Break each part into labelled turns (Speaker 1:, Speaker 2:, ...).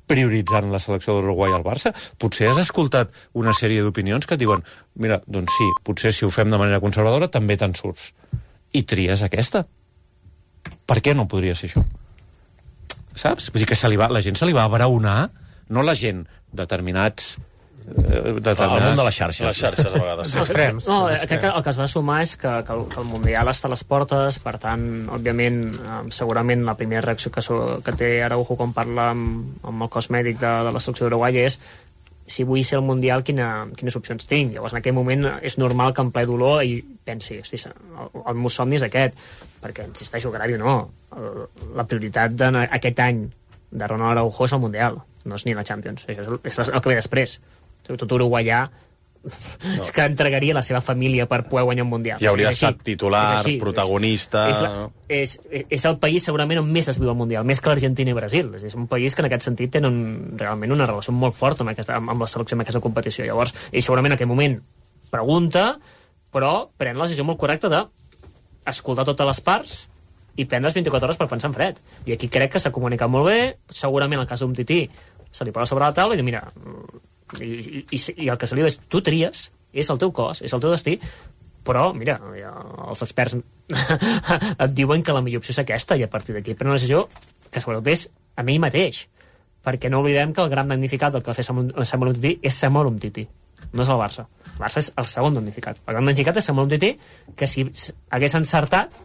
Speaker 1: prioritzant la selecció de l'Uruguai al Barça? Potser has escoltat una sèrie d'opinions que et diuen mira, doncs sí, potser si ho fem de manera conservadora també te'n surts. I tries aquesta. Per què no podria ser això? Saps? Vull dir que la gent se li va abraonar, no la gent, determinats...
Speaker 2: El món de les xarxes.
Speaker 3: Les xarxes, a vegades. Sí.
Speaker 4: Extrems.
Speaker 5: No, crec que el que es va sumar és que el Mundial està a les portes, per tant, òbviament, segurament la primera reacció que té Araujo quan parla amb el cos mèdic de la selecció d'Uruguai és si vull ser al Mundial, quines opcions tinc? Llavors, en aquell moment, és normal que en ple dolor i pensi, hosti, el meu somni és aquest, perquè, insisteixo, carai, no, la prioritat d'aquest any de Ronald Araujo és el Mundial, no és ni la Champions, és el que ve després. Tot uruguaià és que entregaria la seva família per poder guanyar un Mundial.
Speaker 3: Ja hauria estat titular, protagonista...
Speaker 5: És el país segurament on més es viu el Mundial, més que l'Argentina i Brasil. És un país que en aquest sentit tenen realment una relació molt forta amb la selecció, amb aquesta competició. Llavors, ell segurament en aquell moment pregunta, però pren la decisió molt correcta d'escoltar totes les parts i prendre les 24 hores per pensar en fred. I aquí crec que s'ha comunicat molt bé, segurament el cas d'un Tití se li posa sobre la taula i diu, mira... I el que se li diu és tu tries, és el teu cos, és el teu destí, però mira, els experts et diuen que la millor opció és aquesta i a partir d'aquí pren una decisió que sobretot és a mi mateix, perquè no oblidem que el gran damnificat del que va fer Samuel Umtiti és Samuel Umtiti, no és el Barça. El Barça és el segon damnificat. El gran damnificat és Samuel Umtiti, que si hagués encertat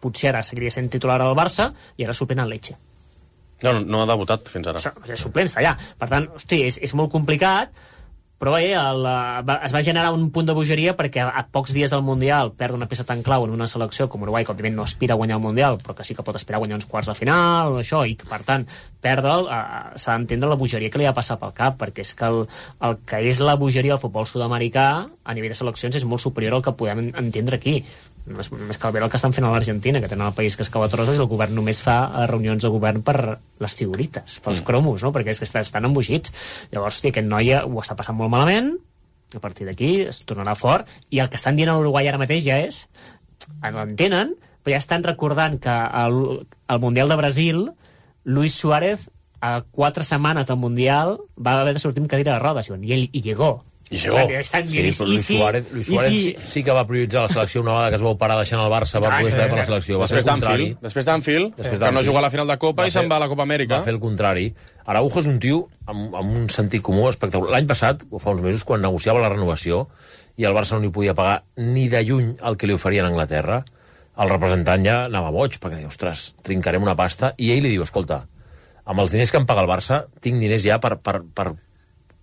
Speaker 5: potser ara seguiria sent titular al Barça i ara suplent al Lecce.
Speaker 3: No ha debutat fins ara.
Speaker 5: És suplent, està allà. Per tant, hosti, és molt complicat, però bé, es va generar un punt de bogeria perquè a pocs dies del Mundial perd una peça tan clau en una selecció com Uruguai, que òbviament no aspira a guanyar el Mundial, però que sí que pot aspirar a guanyar uns quarts de final, això, i que, per tant, perdre'l, s'ha d'entendre la bogeria que li ha passat pel cap, perquè és que el que és la bogeria del futbol sud-americà a nivell de seleccions és molt superior al que podem entendre aquí. Més que el que estan fent a l'Argentina, que tenen el país que es cava trossos i el govern només fa reunions de govern per les figurites, pels cromos, no? Perquè és que estan embogits. Llavors, hosti, aquest noi ho està passant molt malament, a partir d'aquí es tornarà fort, i el que estan dient a l'Uruguai ara mateix ja és, l'entenen, però ja estan recordant que al Mundial de Brasil, Luis Suárez, a 4 setmanes del Mundial, va haver de sortir amb cadira de rodes, i ell hi llegó.
Speaker 3: Sí,
Speaker 2: però Luis Suárez sí que va prioritzar la selecció una vegada que es va operar deixant el Barça, va poder estar per la selecció.
Speaker 3: Després d'Anfield, que no juga a la final de Copa i se'n va a la Copa Amèrica.
Speaker 2: Va fer el contrari. Araujo és un tio amb un sentit comú espectacular. L'any passat, o fa uns mesos, quan negociava la renovació i el Barça no li podia pagar ni de lluny el que li oferien a Anglaterra, el representant ja anava boig, perquè diu, ostres, trincarem una pasta, i ell li diu, escolta, amb els diners que em paga el Barça, tinc diners ja per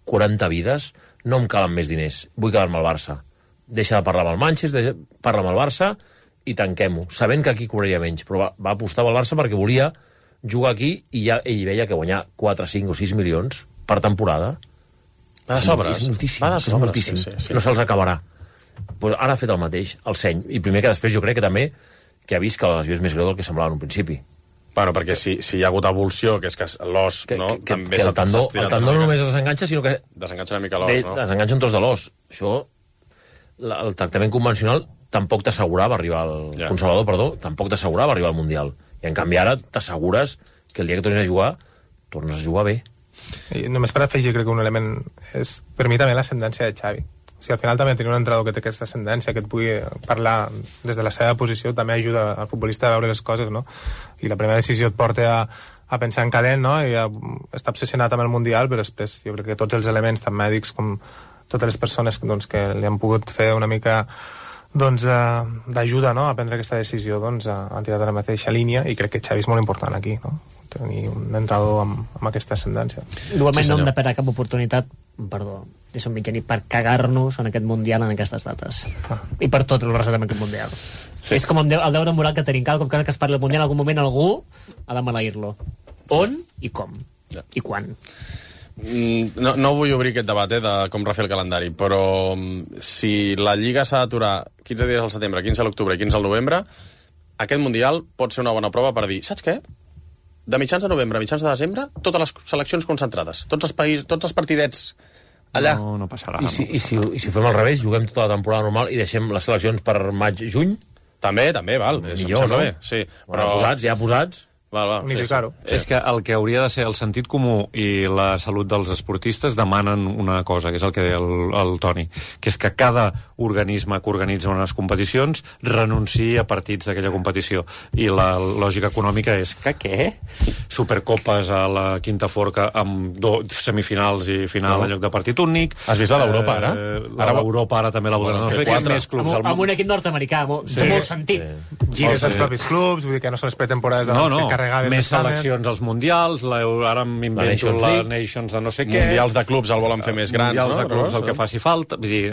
Speaker 2: 40 vides, no em calen més diners, vull quedar-me al Barça. Deixa de parlar amb el Manchester, parla amb el Barça i tanquem-ho, sabent que aquí cobraria menys, però va apostar pel Barça perquè volia jugar aquí i ja ell veia que guanyar 4, 5 o 6 milions per temporada
Speaker 3: va de sobres.
Speaker 2: És moltíssim. Sí. No se'ls acabarà. Pues ara ha fet el mateix, el seny, i primer que després jo crec que també que ha vist que la lesió és més greu del que semblava en un principi.
Speaker 3: Bueno, perquè si hi ha hagut evolució, que és que l'os, no?
Speaker 2: Que el tendó no només desenganxa, sinó que...
Speaker 3: Desenganxa una mica l'os, no?
Speaker 2: Desenganxa un tros de l'os. Això, el tractament convencional tampoc t'assegurava arribar al... Conservador, perdó, tampoc t'assegurava arribar al Mundial. I en canvi ara t'assegures que el dia que tornis a jugar, tornes a jugar bé.
Speaker 4: I només per afegir, crec que un element és, per mi també, l'ascendència de Xavi. O sigui, al final també tenir un entrenador que té aquesta ascendència, que et pugui parlar des de la seva posició, també ajuda al futbolista a veure les coses, no? I la primera decisió et porta a pensar en calent, no? I a estar obsessionat amb el Mundial, però després jo crec que tots els elements, tant mèdics com totes les persones doncs, que li han pogut fer una mica doncs, d'ajuda, no? A prendre aquesta decisió, doncs, han tirat a la mateixa línia, i crec que Xavi és molt important aquí, no? Tenir un entrenador amb aquesta ascendència.
Speaker 5: Igualment no hem de perdre cap oportunitat, perdó, és un mitjanit per cagar-nos en aquest Mundial en aquestes dates. I per tot el rest d'aquest Mundial. Sí. És com el deure moral que tenim. Cada cop que es parli del Mundial, en algun moment algú ha de maleir-lo. On i com? Ja. I quan?
Speaker 3: No vull obrir aquest debat de com refer el calendari, però si la Lliga s'ha d'aturar 15 dies al setembre, 15 a l'octubre i 15 al novembre, aquest Mundial pot ser una bona prova per dir, saps què? De mitjans de novembre a mitjans de desembre, totes les seleccions concentrades, tots els països, tots els partidets allà.
Speaker 1: No passarà.
Speaker 2: I si ho fem al revés, juguem tota la temporada normal i deixem les seleccions per maig-juny?
Speaker 3: També, val.
Speaker 2: Millor, no?
Speaker 3: Bé, sí.
Speaker 2: Però ja posats.
Speaker 4: unificar-ho.
Speaker 1: És que el que hauria de ser el sentit comú i la salut dels esportistes demanen una cosa, que és el que deia el Toni, que és que cada organisme que organitza unes competicions renunciï a partits d'aquella competició. I la lògica econòmica és que què? Supercopes a la quinta forca amb semifinals i final en lloc de partit únic.
Speaker 3: Has vist la d'Europa, ara?
Speaker 1: L'Europa ara també la volen fer. Més clubs
Speaker 5: amb un equip nord-americà, té molt sentit.
Speaker 4: Gires als propis clubs, vull dir que no són les pretemporades de que carregaves
Speaker 1: més seleccions als mundials, ara m'invento la Nations de no sé què.
Speaker 3: Mundials de clubs el volen fer més grans, no?
Speaker 1: Mundials de clubs, el que faci falta. Vull dir,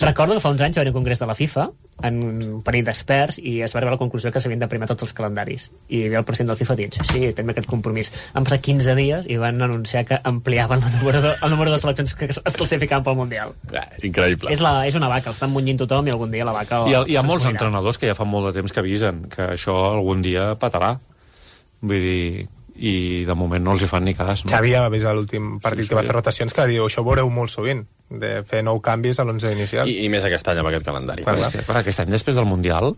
Speaker 5: Recordo que fa uns anys va haver un congrés de la FIFA en un parell d'experts i es va arribar a la conclusió que s'havien de primar tots els calendaris. I el president del FIFA ha dit, sí, tenim aquest compromís. Han passat 15 dies i van anunciar que ampliaven el número de seleccions que es classificaven pel Mundial.
Speaker 3: Increïble.
Speaker 5: És una vaca, estan munyint tothom i algun dia la vaca...
Speaker 1: Hi ha molts entrenadors que ja fa molt de temps que avisen que això algun dia patarà. Vull dir, i de moment no els hi fan ni cas. No?
Speaker 4: Xavi ja va avisar l'últim partit que va fer rotacions que diu, això ho veureu molt sovint, de fer 9 canvis a l'11 inicial.
Speaker 3: I més aquest any amb aquest calendari.
Speaker 1: Aquest any després del Mundial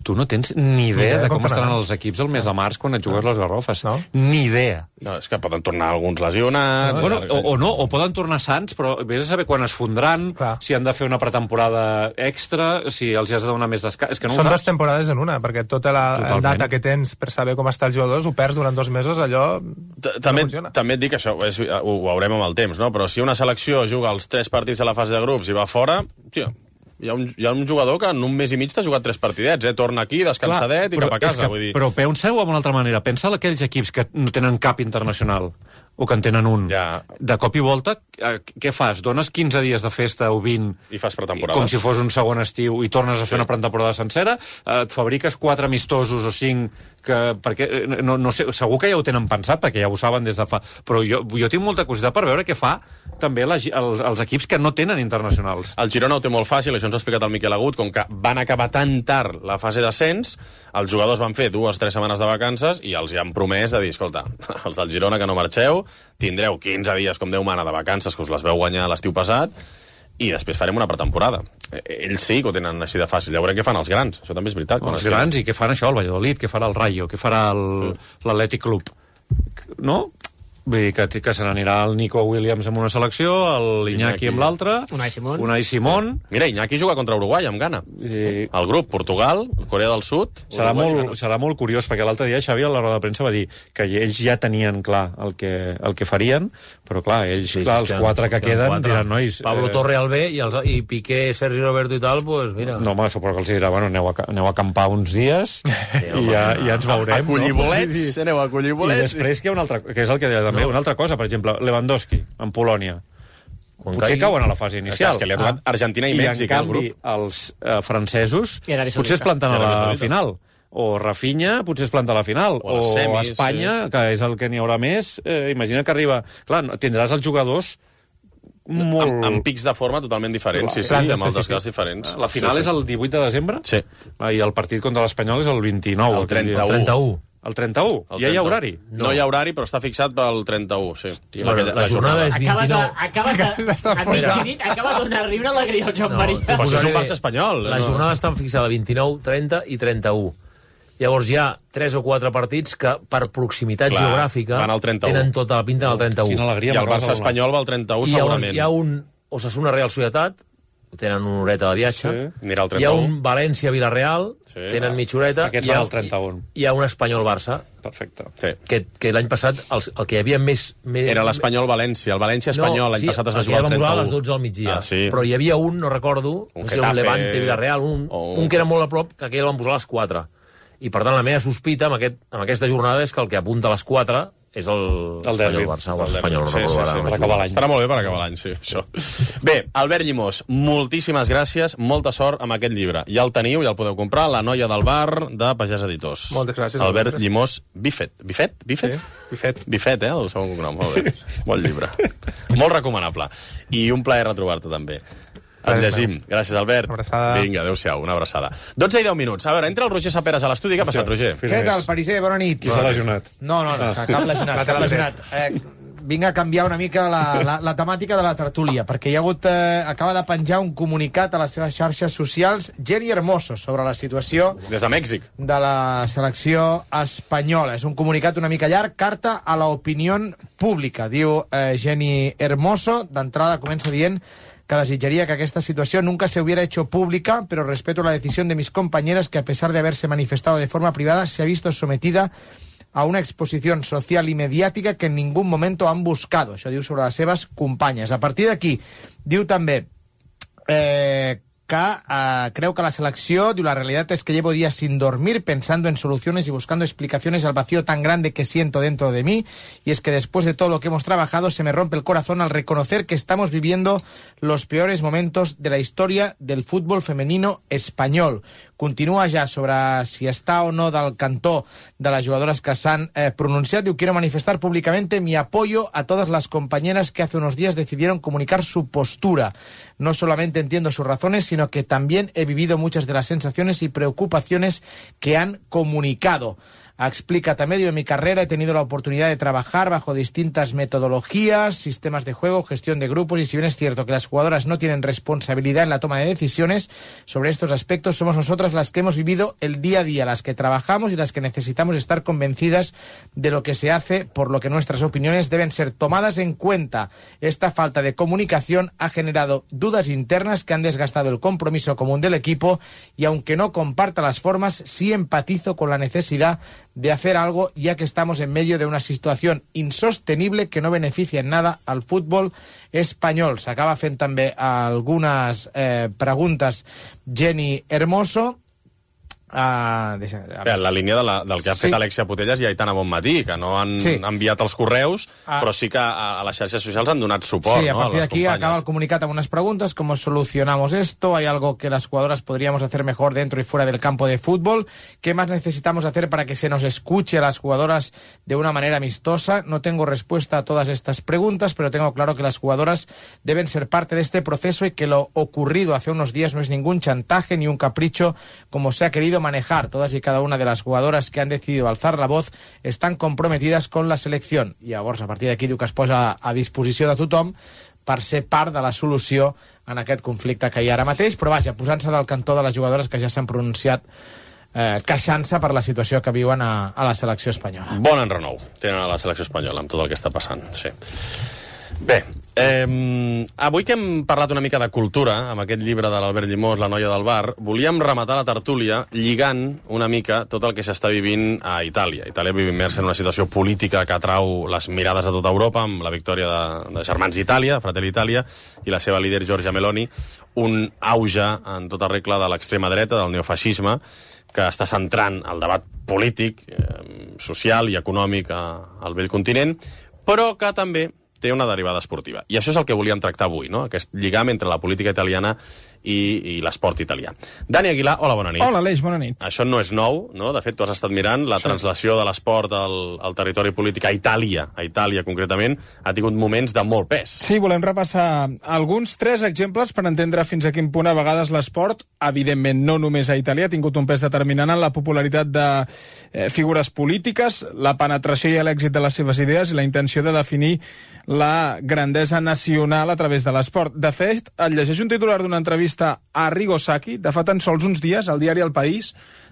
Speaker 1: tu no tens ni idea de com estaran els equips el mes de març quan et jugues les garrofes. No? Ni idea.
Speaker 3: No, és que poden tornar alguns lesionats...
Speaker 1: O poden tornar sants, però vés a saber quan es fondran, si han de fer una pretemporada extra, si els has de donar més descans... És que no
Speaker 4: són 2 temporades en una, perquè tota la data que tens per saber com està els jugadors ho perds durant 2 mesos, allò
Speaker 3: també et dic això, ho veurem amb el temps, no? Però si una selecció juga els 3 partits a la fase de grups i va fora, tio, hi ha un jugador que en un mes i mig t'ha jugat 3 partidets, torna aquí, descansadet i cap a casa. Vull dir...
Speaker 1: Però penseu en una altra manera. Pensa en aquells equips que no tenen cap internacional o que en tenen un.
Speaker 3: Ja.
Speaker 1: De cop i volta, què fas? Dones 15 dies de festa o 20...
Speaker 3: I fas pretemporada.
Speaker 1: Com si fos un segon estiu i tornes a fer una pretemporada sencera, et fabriques 4 amistosos o 5... perquè, no sé, segur que ja ho tenen pensat, perquè ja ho saben des de fa... Però jo tinc molta curiositat per veure què fa també els equips que no tenen internacionals.
Speaker 3: El Girona ho té molt fàcil, això ens ha explicat el Miquel Agut, com que van acabar tan tard la fase d'ascens, els jugadors van fer 2 o 3 setmanes de vacances i els hi han promès de dir, escolta, els del Girona que no marxeu, tindreu 15 dies, com Déu mana, de vacances, que us les veu guanyar l'estiu passat, i després farem una pretemporada. Ells sí que ho tenen així de fàcil. Ja veurem què fan els grans. Això també és veritat.
Speaker 1: Els grans, i què fan això, el Valladolid, què farà el Rayo, què farà l'Atlètic Club. No? Vull dir que se n'anirà el Nico Williams amb una selecció, l'Iñaki amb l'altra, Unai Simón.
Speaker 3: Mira, Iñaki juga contra Uruguai amb gana. El grup, Portugal, Corea del Sud...
Speaker 1: Serà molt curiós, perquè l'altre dia Xavi a la roda de premsa va dir que ells ja tenien clar el que farien, però clar, ells, els 4 que queden, diran, nois...
Speaker 2: Pablo Torre al B i Piqué, Sergi Roberto i tal, pues mira...
Speaker 1: No, home, suposo que els dirà, bueno, aneu a acampar uns dies i ja ens veurem.
Speaker 3: A collir bolets, aneu a collir bolets.
Speaker 1: I després que hi ha una altra, que és el que deia també, una altra cosa, per exemple, Lewandowski, en Polònia. Potser cauen a la fase inicial.
Speaker 3: És que li ha tocat Argentina i Mèxic,
Speaker 1: el grup. I en canvi, els francesos potser es planten a la final. O Rafinha potser es planta a la final. O Espanya, que és el que n'hi haurà més, imagina que arriba... Clar, tindràs els jugadors molt...
Speaker 3: Amb pics de forma totalment diferents, sí, amb els desgats diferents.
Speaker 1: La final és el 18 de desembre?
Speaker 3: Sí.
Speaker 1: I el partit contra l'Espanyol és el 29.
Speaker 3: El 31.
Speaker 1: El 31? Ja hi ha horari?
Speaker 3: No hi ha horari, però està fixat pel 31, sí.
Speaker 2: La jornada és 29.
Speaker 5: Acabes de donar-li una alegria al Joan Maria.
Speaker 3: Però això és un Barça espanyol.
Speaker 2: La jornada està fixada 29, 30 i 31. Llavors hi ha 3 o 4 partits que per proximitat geogràfica tenen tota la pinta del 31.
Speaker 1: Quina alegria.
Speaker 3: I el Barça espanyol va al 31 segurament.
Speaker 2: Hi ha un Osasuna Real Societat, tenen una horeta de viatge.
Speaker 3: Anirà al 31.
Speaker 2: Hi ha un València-Villarreal, tenen mitja horeta.
Speaker 1: Aquests van al 31.
Speaker 2: Hi ha un Espanyol-Barça.
Speaker 1: Perfecte.
Speaker 2: Que l'any passat el que hi havia més...
Speaker 3: Era l'Espanyol-València. El València-Espanyol l'any passat es va jugar al 31.
Speaker 2: Sí, a les 12 al migdia. Però hi havia un, no recordo, un Levante-Villarreal, un que era molt a prop, que aquell el van posar a les 4. I per tant la meva sospita amb aquesta jornada és que el que apunta a les 4 és l'Espanyol-Barça, o l'Espanyol, no recordo ara.
Speaker 1: Per acabar l'any.
Speaker 3: Estarà molt bé per acabar l'any, sí, això. Bé, Albert Llimós, moltíssimes gràcies, molta sort amb aquest llibre. Ja el teniu, ja el podeu comprar, La noia del bar, de Pagès Editors.
Speaker 4: Moltes gràcies.
Speaker 3: Albert Llimós, Bifet. Bifet?
Speaker 4: Sí, Bifet.
Speaker 3: Bifet, el segon cognom, molt bé. Bon llibre. Molt recomanable. I un plaer retrobar-te, també. Et llegim. Gràcies, Albert. Vinga, adéu-siau, una abraçada. 12 i 10 minuts. A veure, entra el Roger Saperes a l'estudi. Què ha passat, Roger?
Speaker 6: Què tal, Pariser? Bona nit.
Speaker 1: Qui s'ha lesionat?
Speaker 6: No, cap lesionat. vinc a canviar una mica la temàtica de la tertúlia, perquè hi ha hagut, acaba de penjar un comunicat a les seves xarxes socials Jenny Hermoso sobre la situació
Speaker 3: des de Mèxic
Speaker 6: de la selecció espanyola. És un comunicat una mica llarg, carta a la opinió pública, diu Jenny Hermoso. D'entrada comença dient que desitjaría que esta situación nunca se hubiera hecho pública, pero respeto la decisión de mis compañeras que, a pesar de haberse manifestado de forma privada, se ha visto sometida a una exposición social y mediàtica que en ningún momento han buscado. Això diu sobre les seves companyes. A partir d'aquí, diu també que creo que la selección, la realidad es que llevo días sin dormir pensando en soluciones y buscando explicaciones al vacío tan grande que siento dentro de mí, y es que después de todo lo que hemos trabajado se me rompe el corazón al reconocer que estamos viviendo los peores momentos de la historia del fútbol femenino espanyol. Continúa ja sobre si està o no del cantó de les jugadores que s'han pronunciat. Diu, quiero manifestar públicamente mi apoyo a todas las compañeras que hace unos días decidieron comunicar su postura. No solamente entiendo sus razones, sino que también he vivido muchas de las sensaciones y preocupaciones que han comunicado. Explica también, en mi carrera he tenido la oportunidad de trabajar bajo distintas metodologías, sistemas de juego, gestión de grupos, y si bien es cierto que las jugadoras no tienen responsabilidad en la toma de decisiones sobre estos aspectos, somos nosotras las que hemos vivido el día a día, las que trabajamos y las que necesitamos estar convencidas de lo que se hace, por lo que nuestras opiniones deben ser tomadas en cuenta. Esta falta de comunicación ha generado dudas internas que han desgastado el compromiso común del equipo, y aunque no comparta las formas, sí empatizo con la necesidad de hacer algo, ya que estamos en medio de una situación insostenible que no beneficia en nada al fútbol espanyol. S'acaba fent també algunes preguntes Jenny Hermoso.
Speaker 3: La línia del que ha fet Alexia Putellas i Aitana Bonmatí, que no han enviat els correus, però sí que a les xarxes socials han donat suport.
Speaker 6: Sí, a partir
Speaker 3: de
Speaker 6: aquí acaba el comunicat amb unas preguntas. ¿Cómo solucionamos esto? ¿Hay algo que las jugadoras podríamos hacer mejor dentro y fuera del campo de fútbol? ¿Qué más necesitamos hacer para que se nos escuche a las jugadoras de una manera amistosa? No tengo respuesta a todas estas preguntas, pero tengo claro que las jugadoras deben ser parte de este proceso y que lo ocurrido hace unos días no es ningún chantaje ni un capricho como se ha querido manejar. Todas y cada una de las jugadoras que han decidido alzar la voz están comprometidas con la selección. I llavors, a partir d'aquí, diu que es posa a disposició de tothom per ser part de la solució en aquest conflicte que hi ha ara mateix, però vaja, posant-se del cantó de les jugadores que ja s'han pronunciat queixant-se per la situació que viuen a la selecció espanyola.
Speaker 3: Bon enrenou tenen a la selecció espanyola amb tot el que està passant, sí. Bé, avui que hem parlat una mica de cultura, amb aquest llibre de l'Albert Llimós, La noia del bar, volíem rematar la tertúlia lligant una mica tot el que s'està vivint a Itàlia. Itàlia viu immersa en una situació política que atrau les mirades de tota Europa, amb la victòria de Germans d'Itàlia, Fratelli Italia, i la seva líder Giorgia Meloni, un auge en tota regla de l'extrema dreta, del neofeixisme, que està centrant el debat polític, social i econòmic al vell continent, però que també té una derivada esportiva. I això és el que volíem tractar avui, no? Aquest lligam entre la política italiana i l'esport italià. Dani Aguilar, hola, bona nit.
Speaker 7: Hola, Aleix, bona nit.
Speaker 3: Això no és nou, no? De fet, tu has estat mirant la translació de l'esport al territori polític a Itàlia concretament, ha tingut moments de molt pes.
Speaker 7: Sí, volem repassar alguns 3 exemples per entendre fins a quin punt a vegades l'esport, evidentment no només a Itàlia, ha tingut un pes determinant en la popularitat de figures polítiques, la penetració i l'èxit de les seves idees i la intenció de definir la grandesa nacional a través de l'esport. De fet, et llegeix un titular d'una entrevista a Arrigo Sacchi, de fa tan sols uns dies, al diari El País.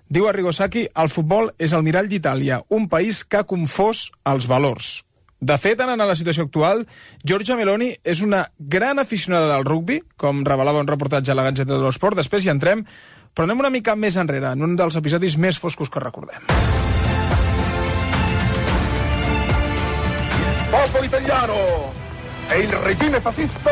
Speaker 7: Diu Arrigo Sacchi, el futbol és el mirall d'Itàlia, un país que ha confós els valors. De fet, en la situació actual, Giorgia Meloni és una gran aficionada del rugbi, com revelava un reportatge a la Gazzetta dello Sport. Després hi entrem, però anem una mica més enrere, en un dels episodis més foscos que recordem.
Speaker 8: Popolo italiano e il regime fascista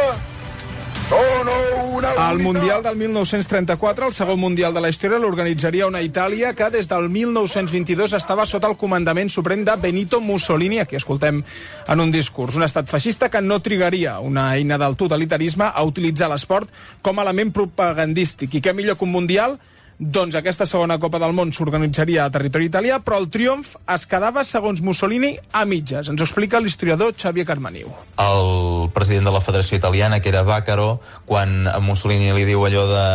Speaker 8: sono una unità.
Speaker 7: El Mundial del 1934, el segon Mundial de la història, l'organitzaria una Itàlia que des del 1922 estava sota el comandament suprem de Benito Mussolini, aquí escoltem en un discurs. Un estat feixista que no trigaria, una eina del totalitarisme, a utilitzar l'esport com a element propagandístic. I què millor que un Mundial? Doncs aquesta segona Copa del Món s'organitzaria a territori italià, però el triomf es quedava, segons Mussolini, a mitges. Ens ho explica l'historiador Xavier Carmaniu.
Speaker 9: El president de la Federació Italiana, que era Vaccaro, quan Mussolini li diu allò de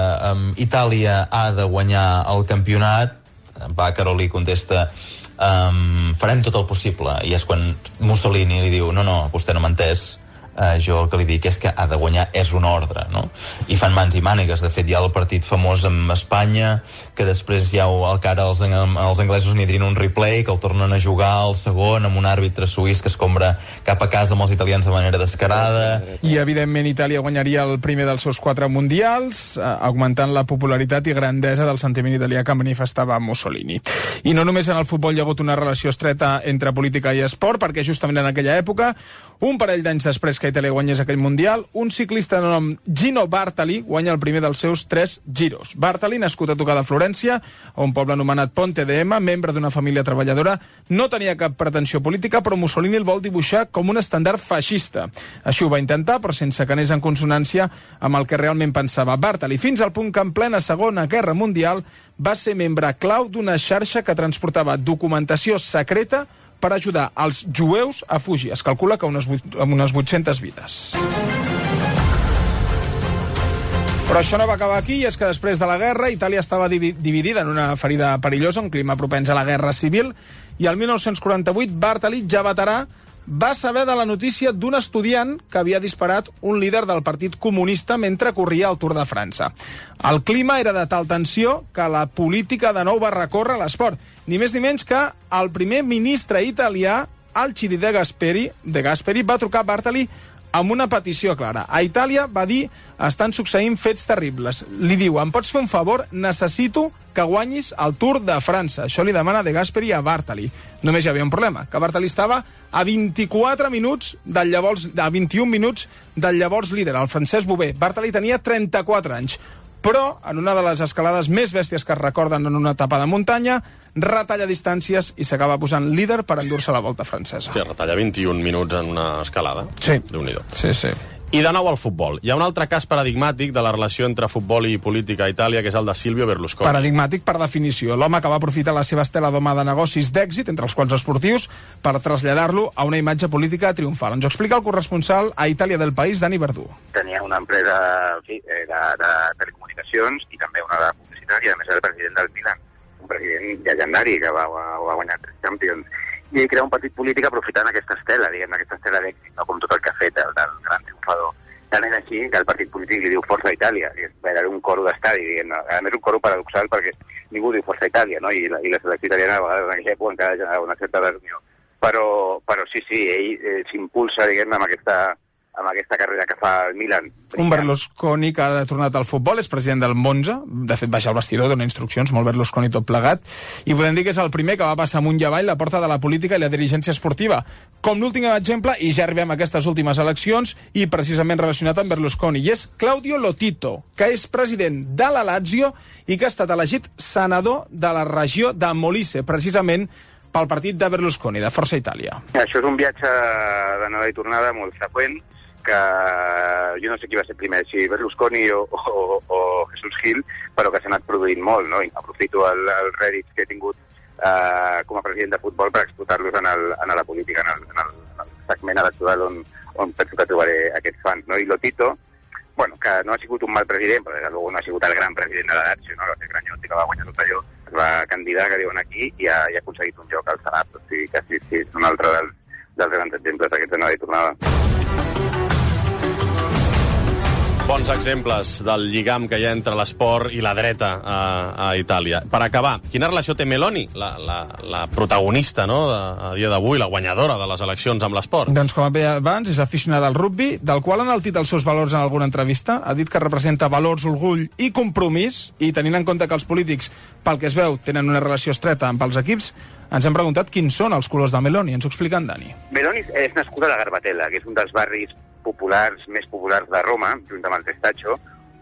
Speaker 9: Itàlia ha de guanyar el campionat, Vaccaro li contesta farem tot el possible, i és quan Mussolini li diu, no, vostè no m'ha entès, jo el que li dic és que ha de guanyar és una ordre, no? I fan mans i mànigues. De fet, hi ha el partit famós amb Espanya, que després ja el que ara els anglesos n'hi dirien un replay, que el tornen a jugar al segon amb un àrbitre suís que es compra cap a casa amb els italians de manera descarada.
Speaker 7: I, evidentment, Itàlia guanyaria el primer dels seus 4 mundials, augmentant la popularitat i grandesa del sentiment italià que manifestava Mussolini. I no només en el futbol hi ha hagut una relació estreta entre política i esport, perquè justament en aquella època, un parell d'anys després que Itàlia guanyés aquell Mundial, un ciclista de nom Gino Bartali guanya el primer dels seus 3 giros. Bartali, nascut a tocar de Florència, a un poble anomenat Ponte de Ema, membre d'una família treballadora, no tenia cap pretensió política, però Mussolini el vol dibuixar com un estandard feixista. Així ho va intentar, però sense que anés en consonància amb el que realment pensava Bartali, fins al punt que en plena Segona Guerra Mundial va ser membre clau d'una xarxa que transportava documentació secreta per ajudar els jueus a fugir. Es calcula que amb unes 800 vides. Però això no va acabar aquí, i és que després de la guerra Itàlia estava dividida en una ferida perillosa, un clima propens a la guerra civil, i el 1948 Bartali, ja veterà, va saber de la notícia d'un estudiant que havia disparat un líder del Partit Comunista mentre corria el Tour de França. El clima era de tal tensió que la política de nou va recórrer a l'esport. Ni més ni menys que el primer ministre italià, Alcide De Gasperi, va trucar a Bartali amb una petició clara. A Itàlia, va dir, estan succeint fets terribles. Li diu, em pots fer un favor? Necessito que guanyis el Tour de França. Això li demana De Gasperi a Bartali. Només hi havia un problema, que Bartali estava a 21 minuts del llavors líder, el francès Bouvet. Bartali tenia 34 anys. Però, en una de les escalades més bèsties que es recorden en una etapa de muntanya, retalla distàncies i s'acaba posant líder per endur-se la Volta francesa.
Speaker 3: Sí, retalla 21 minuts en una escalada.
Speaker 7: Sí.
Speaker 3: Déu-n'hi-do.
Speaker 7: Sí.
Speaker 3: I de nou al futbol. Hi ha un altre cas paradigmàtic de la relació entre futbol i política a Itàlia, que és el de Silvio Berlusconi.
Speaker 7: Paradigmàtic per definició. L'home que va aprofitar la seva estela d'home de negocis d'èxit, entre els quals esportius, per traslladar-lo a una imatge política triomfal. Ens ho explica el corresponsal a Itàlia del País, Dani Verdú.
Speaker 10: Tenia una empresa de telecomunicacions i també una de publicitat, i a més era el president del Milan, un president llegendari que va guanyar 3 Champions. I ell crea un partit polític aprofitant aquesta estela, aquesta estela d'èxit, no? Com tot el que ha fet el gran triomfador. Tant és així que el partit polític li diu Força Itàlia, i és un coro d'estadi, a més un coro paradoxal perquè ningú diu Força Itàlia, no? I la selecció italiana a vegades en aquella època encara generava una certa desunió. Però sí, ell s'impulsa, amb aquesta carrera que fa el Milan.
Speaker 7: Un Berlusconi que ara ha tornat al futbol, és president del Monza, de fet baixa al vestidor, dona instruccions, molt Berlusconi tot plegat, i podem dir que és el primer que va passar amunt i avall la porta de la política i la dirigència esportiva. Com l'últim exemple, i ja arribem a aquestes últimes eleccions, i precisament relacionat amb Berlusconi, i és Claudio Lotito, que és president de la Lazio i que ha estat elegit senador de la regió de Molise, precisament pel partit de Berlusconi, de Força Itàlia.
Speaker 10: Això és un viatge d'anada i tornada molt freqüent, que jo no sé qui va ser primer, si Berlusconi o Jesús Gil, però que s'ha anat produint molt, no? I aprofito el rèdit que he tingut com a president de futbol per explotar-los en la política, en el segment electoral on penso que trobaré aquests fans, no? I Lotito, que no ha sigut un mal president, però des de luego no ha sigut el gran president de la Lazio, no? El Granyotti, que va guanyar tot allò, es va candidatar, que diuen aquí, i ha aconseguit un lloc al Senat. O sigui que sí, és un altre dels grans exemples d'aquesta anada i tornada.
Speaker 3: Bons exemples del lligam que hi ha entre l'esport i la dreta a Itàlia. Per acabar, quina relació té Meloni, la protagonista, no?, a dia d'avui, la guanyadora de les eleccions amb l'esport?
Speaker 7: Doncs, com bé abans, és aficionada al rugbi, del qual ha enaltit els seus valors en alguna entrevista. Ha dit que representa valors, orgull i compromís, i tenint en compte que els polítics, pel que es veu, tenen una relació estreta amb els equips, ens hem preguntat quins són els colors de Meloni. Ens ho explica en Dani.
Speaker 10: Meloni és nascuda a la Garbatella, que és un dels barris més populars de Roma, junt amb el Testaccio,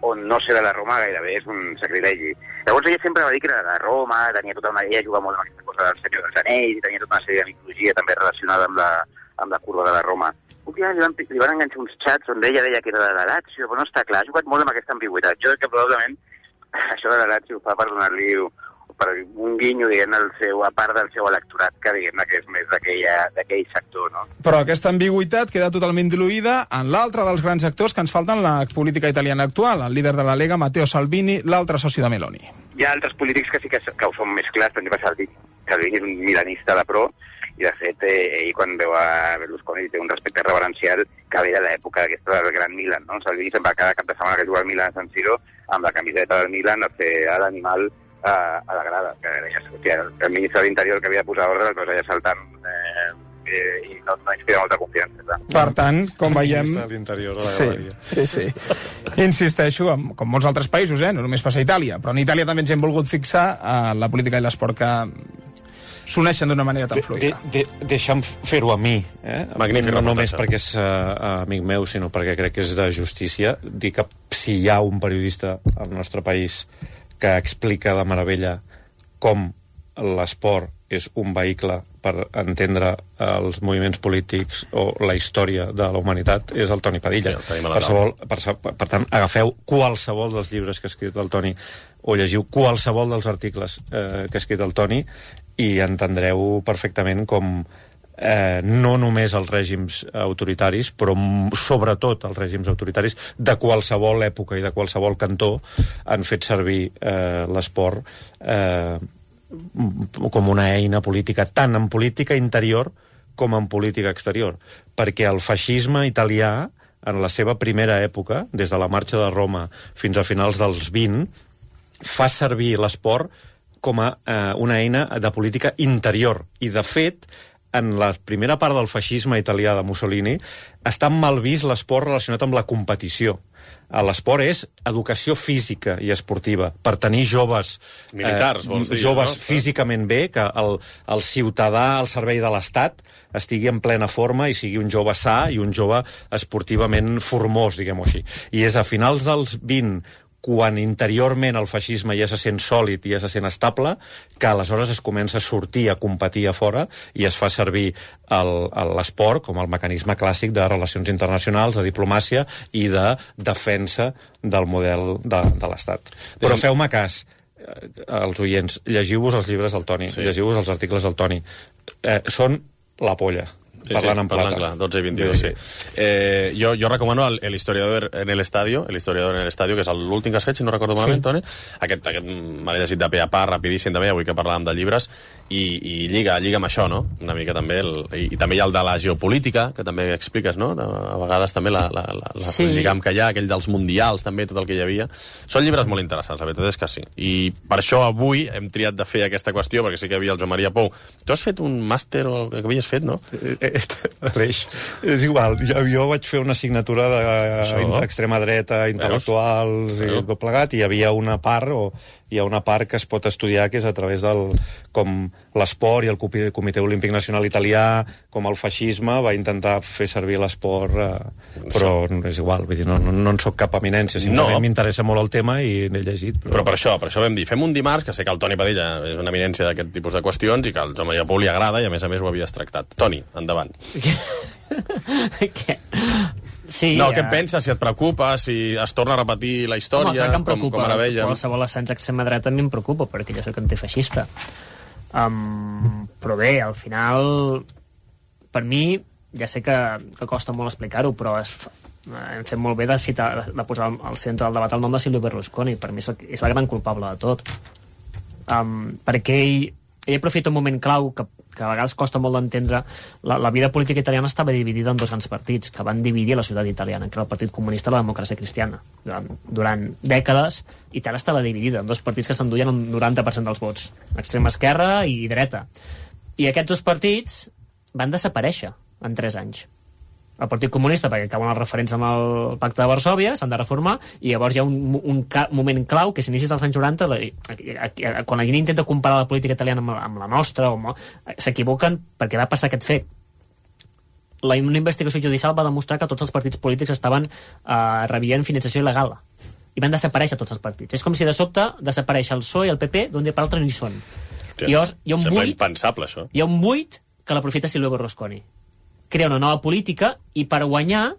Speaker 10: on no ser de la Roma gairebé és un sacrilegi. Llavors ella sempre va dir que era de Roma, ella jugava molt amb aquesta cosa del Senyor dels Anells, i tenia tota una sèrie de mitologia també relacionada amb la curva de la Roma. Un dia li van enganxar uns xats on ella deia que era de la Lazio, però no està clar, ha jugat molt amb aquesta ambigüitat. Jo crec que probablement això de la Lazio ho fa per donar-li per un guinyo, a part del seu electorat, que és més d'aquell sector, no?
Speaker 7: Però aquesta ambigüitat queda totalment diluïda en l'altre dels grans actors que ens falten en la política italiana actual, el líder de la Lega, Matteo Salvini, l'altre soci de Meloni.
Speaker 10: Hi ha altres polítics que sí que ho són més clars, per exemple Salvini Salvini és un milanista de pro, i de fet ell quan veu a Berlusconi té un respecte reverencial que ve de l'època aquesta del Gran Milan, no? Salvini sempre cada cap de setmana que juga al Milan a San Siro amb la camiseta del Milan a fer l'animal a la grada. El ministre de l'Interior que havia de posar ordre es va allà saltant i no inspira molta confiança. Clar.
Speaker 7: Per tant, com veiem...
Speaker 1: El ministre de l'Interior a la galeria.
Speaker 7: Sí. Insisteixo, com molts altres països, no només passa a Itàlia, però en Itàlia també ens hem volgut fixar a la política i l'esport que s'uneixen d'una manera tan fluida.
Speaker 1: Deixa'm fer-ho a mi,
Speaker 3: Magnífic,
Speaker 1: no només perquè és amic meu, sinó perquè crec que és de justícia. Dir que si hi ha un periodista al nostre país que explica de meravella com l'esport és un vehicle per entendre els moviments polítics o la història de la humanitat, és el Toni Padilla. Sí, per tant, agafeu qualsevol dels llibres que ha escrit el Toni o llegiu qualsevol dels articles que ha escrit el Toni i entendreu perfectament com no només els règims autoritaris, però sobretot els règims autoritaris de qualsevol època i de qualsevol cantó han fet servir l'esport com una eina política, tant en política interior com en política exterior. Perquè el feixisme italià, en la seva primera època, des de la marxa de Roma fins a finals dels 20, fa servir l'esport com a una eina de política interior. I, de fet, en la primera part del feixisme italià de Mussolini, està mal vist l'esport relacionat amb la competició. L'esport és educació física i esportiva, per tenir joves
Speaker 3: militars, vols dir,
Speaker 1: joves
Speaker 3: no?
Speaker 1: Físicament bé, que el ciutadà al servei de l'Estat estigui en plena forma i sigui un jove sa i un jove esportivament formós, diguem-ho així. I és a finals dels 20, quan interiorment el feixisme ja se sent sòlid i ja se sent estable, que aleshores es comença a sortir a competir a fora i es fa servir l'esport com el mecanisme clàssic de relacions internacionals, de diplomàcia i de defensa del model de l'Estat. Però feu-me cas, els oients, llegiu-vos els llibres del Toni, llegiu-vos els articles del Toni. Són la polla. Parlant en plata.
Speaker 3: Clar, 12 i 22, sí. Jo recomano el historiador en el estadio, que és l'últim que has fet, si no recordo malament, Toni. Aquest m'ha llegit de pe a pa, rapidíssim també, avui que parlàvem de llibres, i lliga amb això, no? Una mica també, i també hi ha el de la geopolítica, que també expliques, no? A vegades també el lligam que hi ha, aquell dels mundials, també, tot el que hi havia. Són llibres molt interessants, la veritat és que sí. I per això avui hem triat de fer aquesta qüestió, perquè sí que hi havia el Joan Maria Pou. Tu has fet un màster o el que havies fet, no?
Speaker 1: Aleix, és igual, jo vaig fer una assignatura d'extrema dreta, intel·lectuals i tot plegat, i hi havia una part hi ha una part que es pot estudiar que és a través com l'esport i el Comitè Olímpic Nacional Italià, com el feixisme va intentar fer servir l'esport, però és igual, vull dir, no en soc cap eminència, simplement m'interessa molt el tema i n'he llegit.
Speaker 3: Però per això vam dir, fem un dimarts, que sé que el Toni Padilla és una eminència d'aquest tipus de qüestions i que al Joan Maria Pou li agrada i a més ho havies tractat. Toni, endavant.
Speaker 5: Què? Sí,
Speaker 3: no, què en penses? Si et preocupa, si es torna a repetir la història, com ara veiem.
Speaker 5: Qualsevol ascens extrema dreta a mi em preocupa, perquè jo soc antifeixista. Però bé, al final, per mi, ja sé que costa molt explicar-ho, però hem fet molt bé de posar al centre del debat el nom de Silvio Berlusconi. Per mi és la gran culpable de tot. Perquè ell aprofita un moment clau que a vegades costa molt d'entendre. La vida política italiana estava dividida en dos grans partits que van dividir la societat italiana, que era el Partit Comunista i la Democràcia Cristiana. Durant dècades, Itàlia estava dividida en dos partits que s'enduien el 90% dels vots, extrema esquerra i dreta. I aquests dos partits van desaparèixer en 3 anys. El Partit Comunista, perquè acaben els referents amb el Pacte de Varsòvia, s'han de reformar, i llavors hi ha un moment clau, que és inicis dels anys 90, quan la gent intenta comparar la política italiana amb la nostra, s'equivoquen perquè va passar aquest fet. Una investigació judicial va demostrar que tots els partits polítics rebien finançació il·legal, i van desaparèixer tots els partits. És com si de sobte desapareix el PSOE i el PP, d'un dia per l'altre no hi són.
Speaker 3: Sembla impensable, això.
Speaker 5: Hi ha un buit que l'aprofita Silvio Berlusconi. Crea una nova política i per guanyar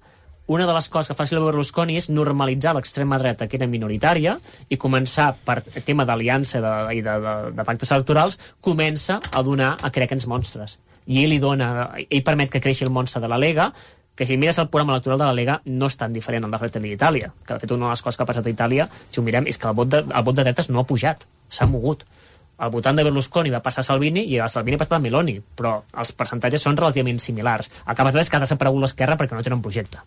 Speaker 5: una de les coses que fa Silvio Berlusconi és normalitzar l'extrema dreta, que era minoritària, i començar, per tema d'aliança i de pactes electorals, comença a crear aquests monstres. I ell permet que creixi el monstre de la Lega, que si mires el programa electoral de la Lega no és tan diferent al de Fratelli d'Itàlia, que de fet una de les coses que ha passat a Itàlia, si ho mirem, és que el vot de dretes no ha pujat, s'ha mogut. al votant de Berlusconi va passar a Salvini i a Salvini ha passat a Meloni, però els percentatges són relativament similars. El que ha passat és que ha desaparegut l'esquerra perquè no tenen projecte.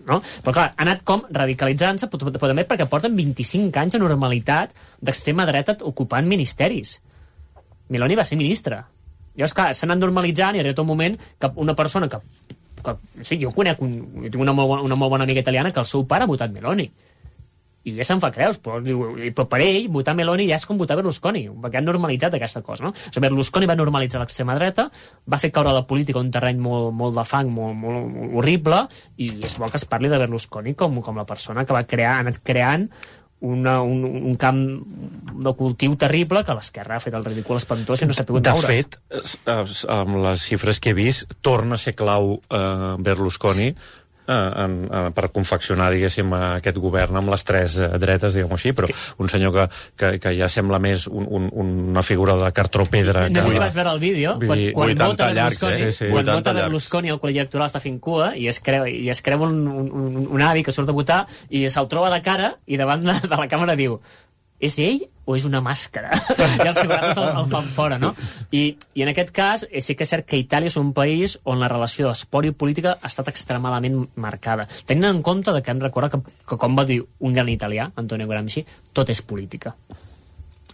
Speaker 5: No? Però clar, ha anat com radicalitzant-se, però també perquè porten 25 anys de normalitat d'extrema dreta ocupant ministeris. Meloni va ser ministra. Llavors, clar, s'ha anat normalitzant i ha arribat un moment que una persona que sí, jo conec, jo tinc una molt bona amiga italiana que el seu pare ha votat Meloni. I ja se'n fa creus, però per ell votar Meloni ja és com votar Berlusconi, perquè han normalitzat aquesta cosa, no? O sigui, Berlusconi va normalitzar l'extrema dreta, va fer caure la política un terreny molt de fang, molt horrible, i és bo que es parli de Berlusconi com la persona que ha anat creant un camp de cultiu terrible que l'esquerra ha fet el ridícul espantós i no s'ha pogut
Speaker 1: De
Speaker 5: veure.
Speaker 1: fet, amb les xifres que he vist, torna a ser clau Berlusconi per confeccionar, diguéssim, aquest govern amb les tres dretes, diguem-ho així, però un senyor que ja sembla més una figura de cartró-pedra.
Speaker 5: No sé si vas veure el vídeo, quan vota Berlusconi el col·legi electoral està fent cua i es creu un avi que surt a votar i se'l troba de cara i davant de la càmera diu: és ell o és una màscara? I els ciutadans el fan fora, no? I en aquest cas sí que és cert que Itàlia és un país on la relació d'esport i política ha estat extremadament marcada. Tenint en compte que hem recordat que com va dir un gran italià, Antonio Gramsci, tot és política.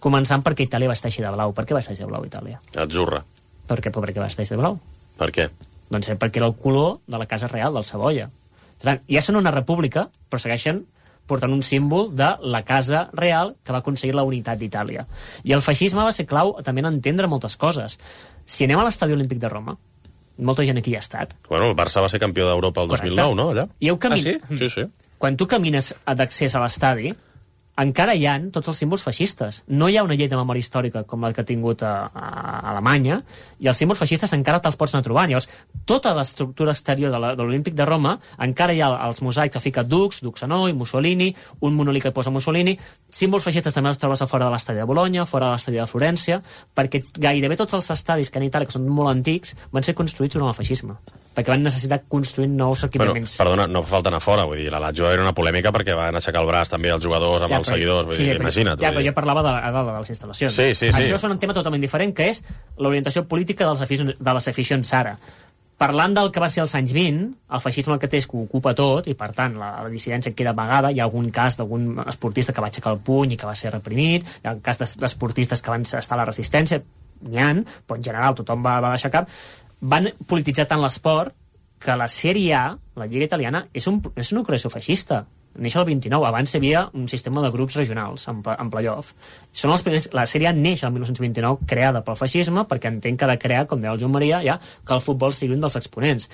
Speaker 5: Començant perquè Itàlia va estar així de blau. Per què va estar així de blau, Itàlia?
Speaker 3: Atzurra.
Speaker 5: Per què va estar així de blau?
Speaker 3: Per què?
Speaker 5: Doncs perquè era el color de la Casa Real del Savoia. Per tant, ja són una república, però segueixen portant un símbol de la Casa Real que va aconseguir la unitat d'Itàlia. I el feixisme va ser clau també en entendre moltes coses. Si anem a l'Estadi Olímpic de Roma, molta gent aquí hi ha estat.
Speaker 3: Bueno, el Barça va ser campió d'Europa el 2009, no? Allà?
Speaker 5: Sí?
Speaker 3: Sí.
Speaker 5: Quan tu camines d'accés a l'estadi, encara hi ha tots els símbols feixistes. No hi ha una llei de memòria històrica com la que ha tingut a Alemanya, i els símbols feixistes encara te'ls pots anar trobant. Llavors, tota l'estructura exterior de l'Olímpic de Roma, encara hi ha els mosaics que fica Dux Hanoi, Mussolini, un monòlit que posa Mussolini, símbols feixistes també els trobes a fora de l'estadi de Bologna, fora de l'estadi de Florència, perquè gairebé tots els estadis que en Itàlia, que són molt antics, van ser construïts durant el feixisme, perquè van necessitar construir nous equipaments.
Speaker 3: Perdona, no fa falta anar fora, vull dir, la Lazio era una polèmica perquè van aixecar el braç també els jugadors amb els seguidors, vull dir, imagina't.
Speaker 5: Ja, però jo parlava de les instal·lacions.
Speaker 3: Sí.
Speaker 5: Això és un tema totalment diferent, que és l'orientació política de les aficions ara. Parlant del que va ser als anys 20, el feixisme el que té és que ho ocupa tot, i per tant la dissidència queda amagada. Hi ha algun cas d'algun esportista que va aixecar el puny i que va ser reprimit, hi ha un cas d'esportistes que van estar a la resistència, n'hi ha, però en general tothom va deixar cap. Van polititzar tant l'esport que la Sèrie A, la Lliga Italiana, és una creació feixista. Neix el 29, abans hi havia un sistema de grups regionals en playoff. Són els primers, la Sèrie A neix el 1929, creada pel feixisme, perquè entenc que ha de crear, com deia el Joan Maria, ja, que el futbol sigui un dels exponents.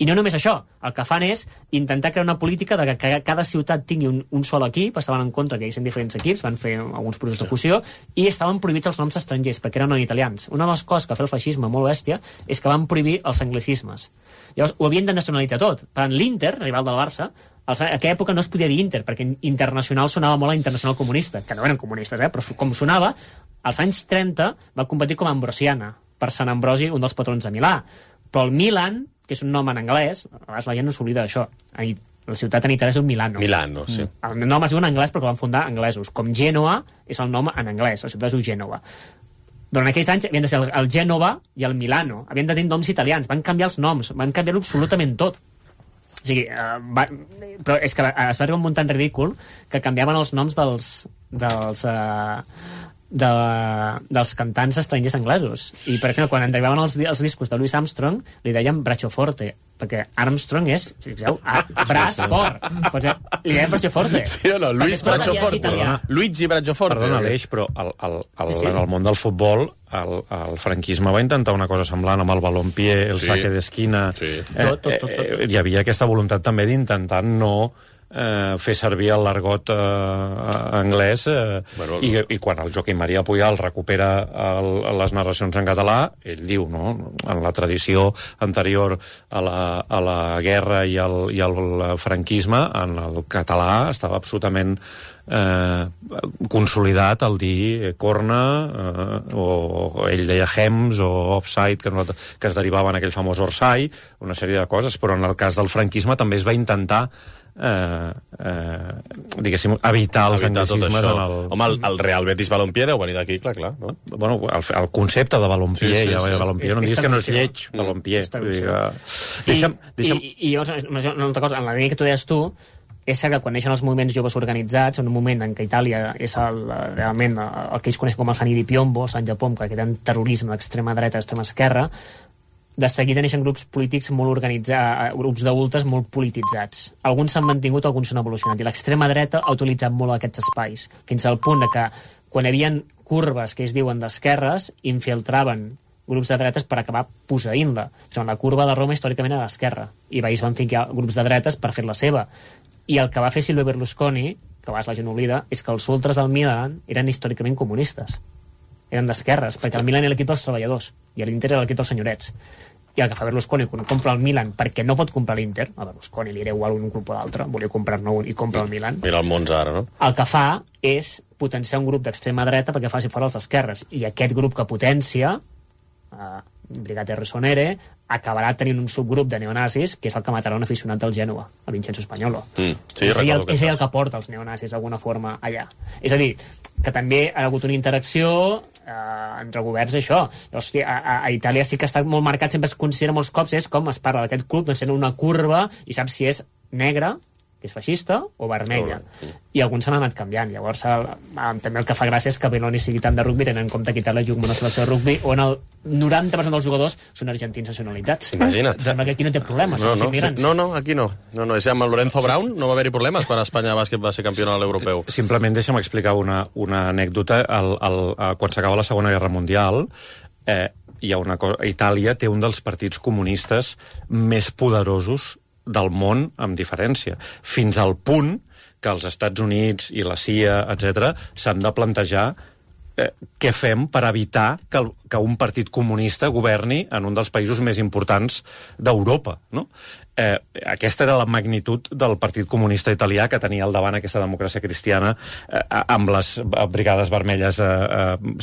Speaker 5: I no només això, el que fan és intentar crear una política de que cada ciutat tingui un sol equip, estaven en contra que hi haguessin diferents equips, van fer alguns processos de fusió, i estaven prohibits els noms estrangers, perquè eren italians. Una de les coses que fa el feixisme molt bèstia és que van prohibir els anglicismes. Llavors, ho havien de nacionalitzar tot. Per tant, l'Inter, rival del Barça, en aquella època no es podia dir Inter, perquè Internacional sonava molt a Internacional comunista, que no eren comunistes, però com sonava, als anys 30 va competir com a Ambrosiana, per Sant Ambrosi, un dels patrons de Milà. Però el Milan, que és un nom en anglès, a vegades la gent no s'oblida d'això. La ciutat en Itàlia és un Milano.
Speaker 3: Milano, sí.
Speaker 5: El nom es diu en anglès perquè el van fundar anglesos. Com Gènova és el nom en anglès, la ciutat es diu Gènova. Durant aquells anys havien de ser el Gènova i el Milano. Havien de tenir noms italians. Van canviar els noms, van canviar-ho absolutament tot. O sigui, però és que es va arribar un munt tan ridícul que canviaven els noms dels cantants estrangers anglesos. I, per exemple, quan arribaven els discos de Louis Armstrong, li deien Bracioforte, perquè Armstrong és, fixeu, braç fort. Pues, li deien Bracioforte.
Speaker 3: Sí o no? Luigi Bracioforte.
Speaker 1: Perdona, Aleix, però en el món del futbol el franquisme va intentar una cosa semblant amb el balompié, el saque d'esquina.
Speaker 5: Tot.
Speaker 1: Hi havia aquesta voluntat també d'intentar no fer servir el l'argot anglès i quan el Joaquim Maria Pujol recupera les narracions en català, ell diu, no? En la tradició anterior a la guerra i al franquisme, en el català estava absolutament consolidat el dir corna o ell deia hems o offside que es derivava en aquell famós orsai, una sèrie de coses, però en el cas del franquisme també es va intentar diguéssim, evitar els anglicismes en el...
Speaker 3: Home, el Real Betis Balompié deu venir d'aquí, clar. No?
Speaker 1: Bueno, el concepte de Balompié, Balompié, no em diguis que no és lleig, Balompié.
Speaker 5: I una altra cosa, en la línia que tu deies tu, és cert que quan neixen els moviments joves organitzats, en un moment en què Itàlia és realment el que ells coneixen com el San Piombo, Sant Japón, que tenen terrorisme d'extrema dreta, d'extrema esquerra, de seguida neixen grups polítics molt organitzats, grups d'ultres molt polititzats. Alguns s'han mantingut, alguns s'han evolucionat, i l'extrema dreta ha utilitzat molt aquests espais, fins al punt de que quan hi havia curves que es diuen d'esquerres, infiltraven grups de dretes per acabar posseint-la. O sigui, la curva de Roma històricament era d'esquerra, i veïs van ficar grups de dretes per fer la seva. I el que va fer Silvio Berlusconi, que a vegades la gent oblida, és que els ultres del Milan eren històricament comunistes. Eren d'esquerres, perquè el Milan era l'equip dels treballadors i l'Inter era l'equip dels senyorets. I el que fa Berlusconi quan compra el Milan, perquè no pot comprar l'Inter, a Berlusconi li era igual un club o l'altre, volia comprar-ne un i compra el Milan.
Speaker 3: Mira el Monza ara, no?
Speaker 5: El que fa és potenciar un grup d'extrema dreta perquè faci fora els d'esquerres. I aquest grup que potencia, Brigate Rossonere, acabarà tenint un subgrup de neonazis, que és el que matarà un aficionat del Gènova, a Vincenzo Spagnolo.
Speaker 3: Sí,
Speaker 5: és ell el que porta els neonazis d'alguna forma allà. És a dir, que també ha hagut una interacció entre governs, això. Hòstia, a Itàlia sí que està molt marcat, sempre es considera molts cops, és com es parla d'aquest club, doncs tenen una curva i saps si és negra, que és feixista, o vermella. I alguns s'han anat canviant. Llavors, també el que fa gràcia és que Belloni sigui tant de rugby, tenint en compte que Itàlia juga amb una selecció de rugby on el 90% dels jugadors són argentins nacionalitzats.
Speaker 3: Imagina't.
Speaker 5: Sembla que aquí no té problemes, són els immigrants.
Speaker 3: No, aquí no. És amb el Lorenzo Brown no va haver-hi problemes quan Espanya Bàsquet va ser campiona de l'europeu.
Speaker 1: Simplement deixa'm explicar una anècdota. Quan s'acaba la Segona Guerra Mundial, hi ha una cosa... Itàlia té un dels partits comunistes més poderosos del món, amb diferència. Fins al punt que els Estats Units i la CIA, etc., s'han de plantejar què fem per evitar que un partit comunista governi en un dels països més importants d'Europa, no? Aquesta era la magnitud del Partit Comunista Italià, que tenia al davant aquesta democràcia cristiana amb les brigades vermelles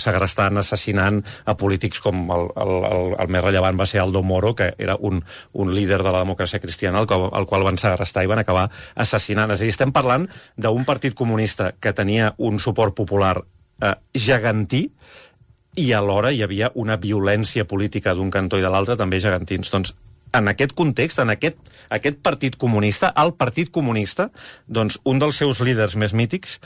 Speaker 1: segrestant, assassinant a polítics com el més rellevant va ser Aldo Moro, que era un líder de la democràcia cristiana, el qual van segrestar i van acabar assassinant. És a dir, estem parlant d'un partit comunista que tenia un suport popular gegantí, i alhora hi havia una violència política d'un cantó i de l'altre també gegantins. Doncs en aquest context, en aquest partit comunista, el Partit Comunista, doncs un dels seus líders més mítics,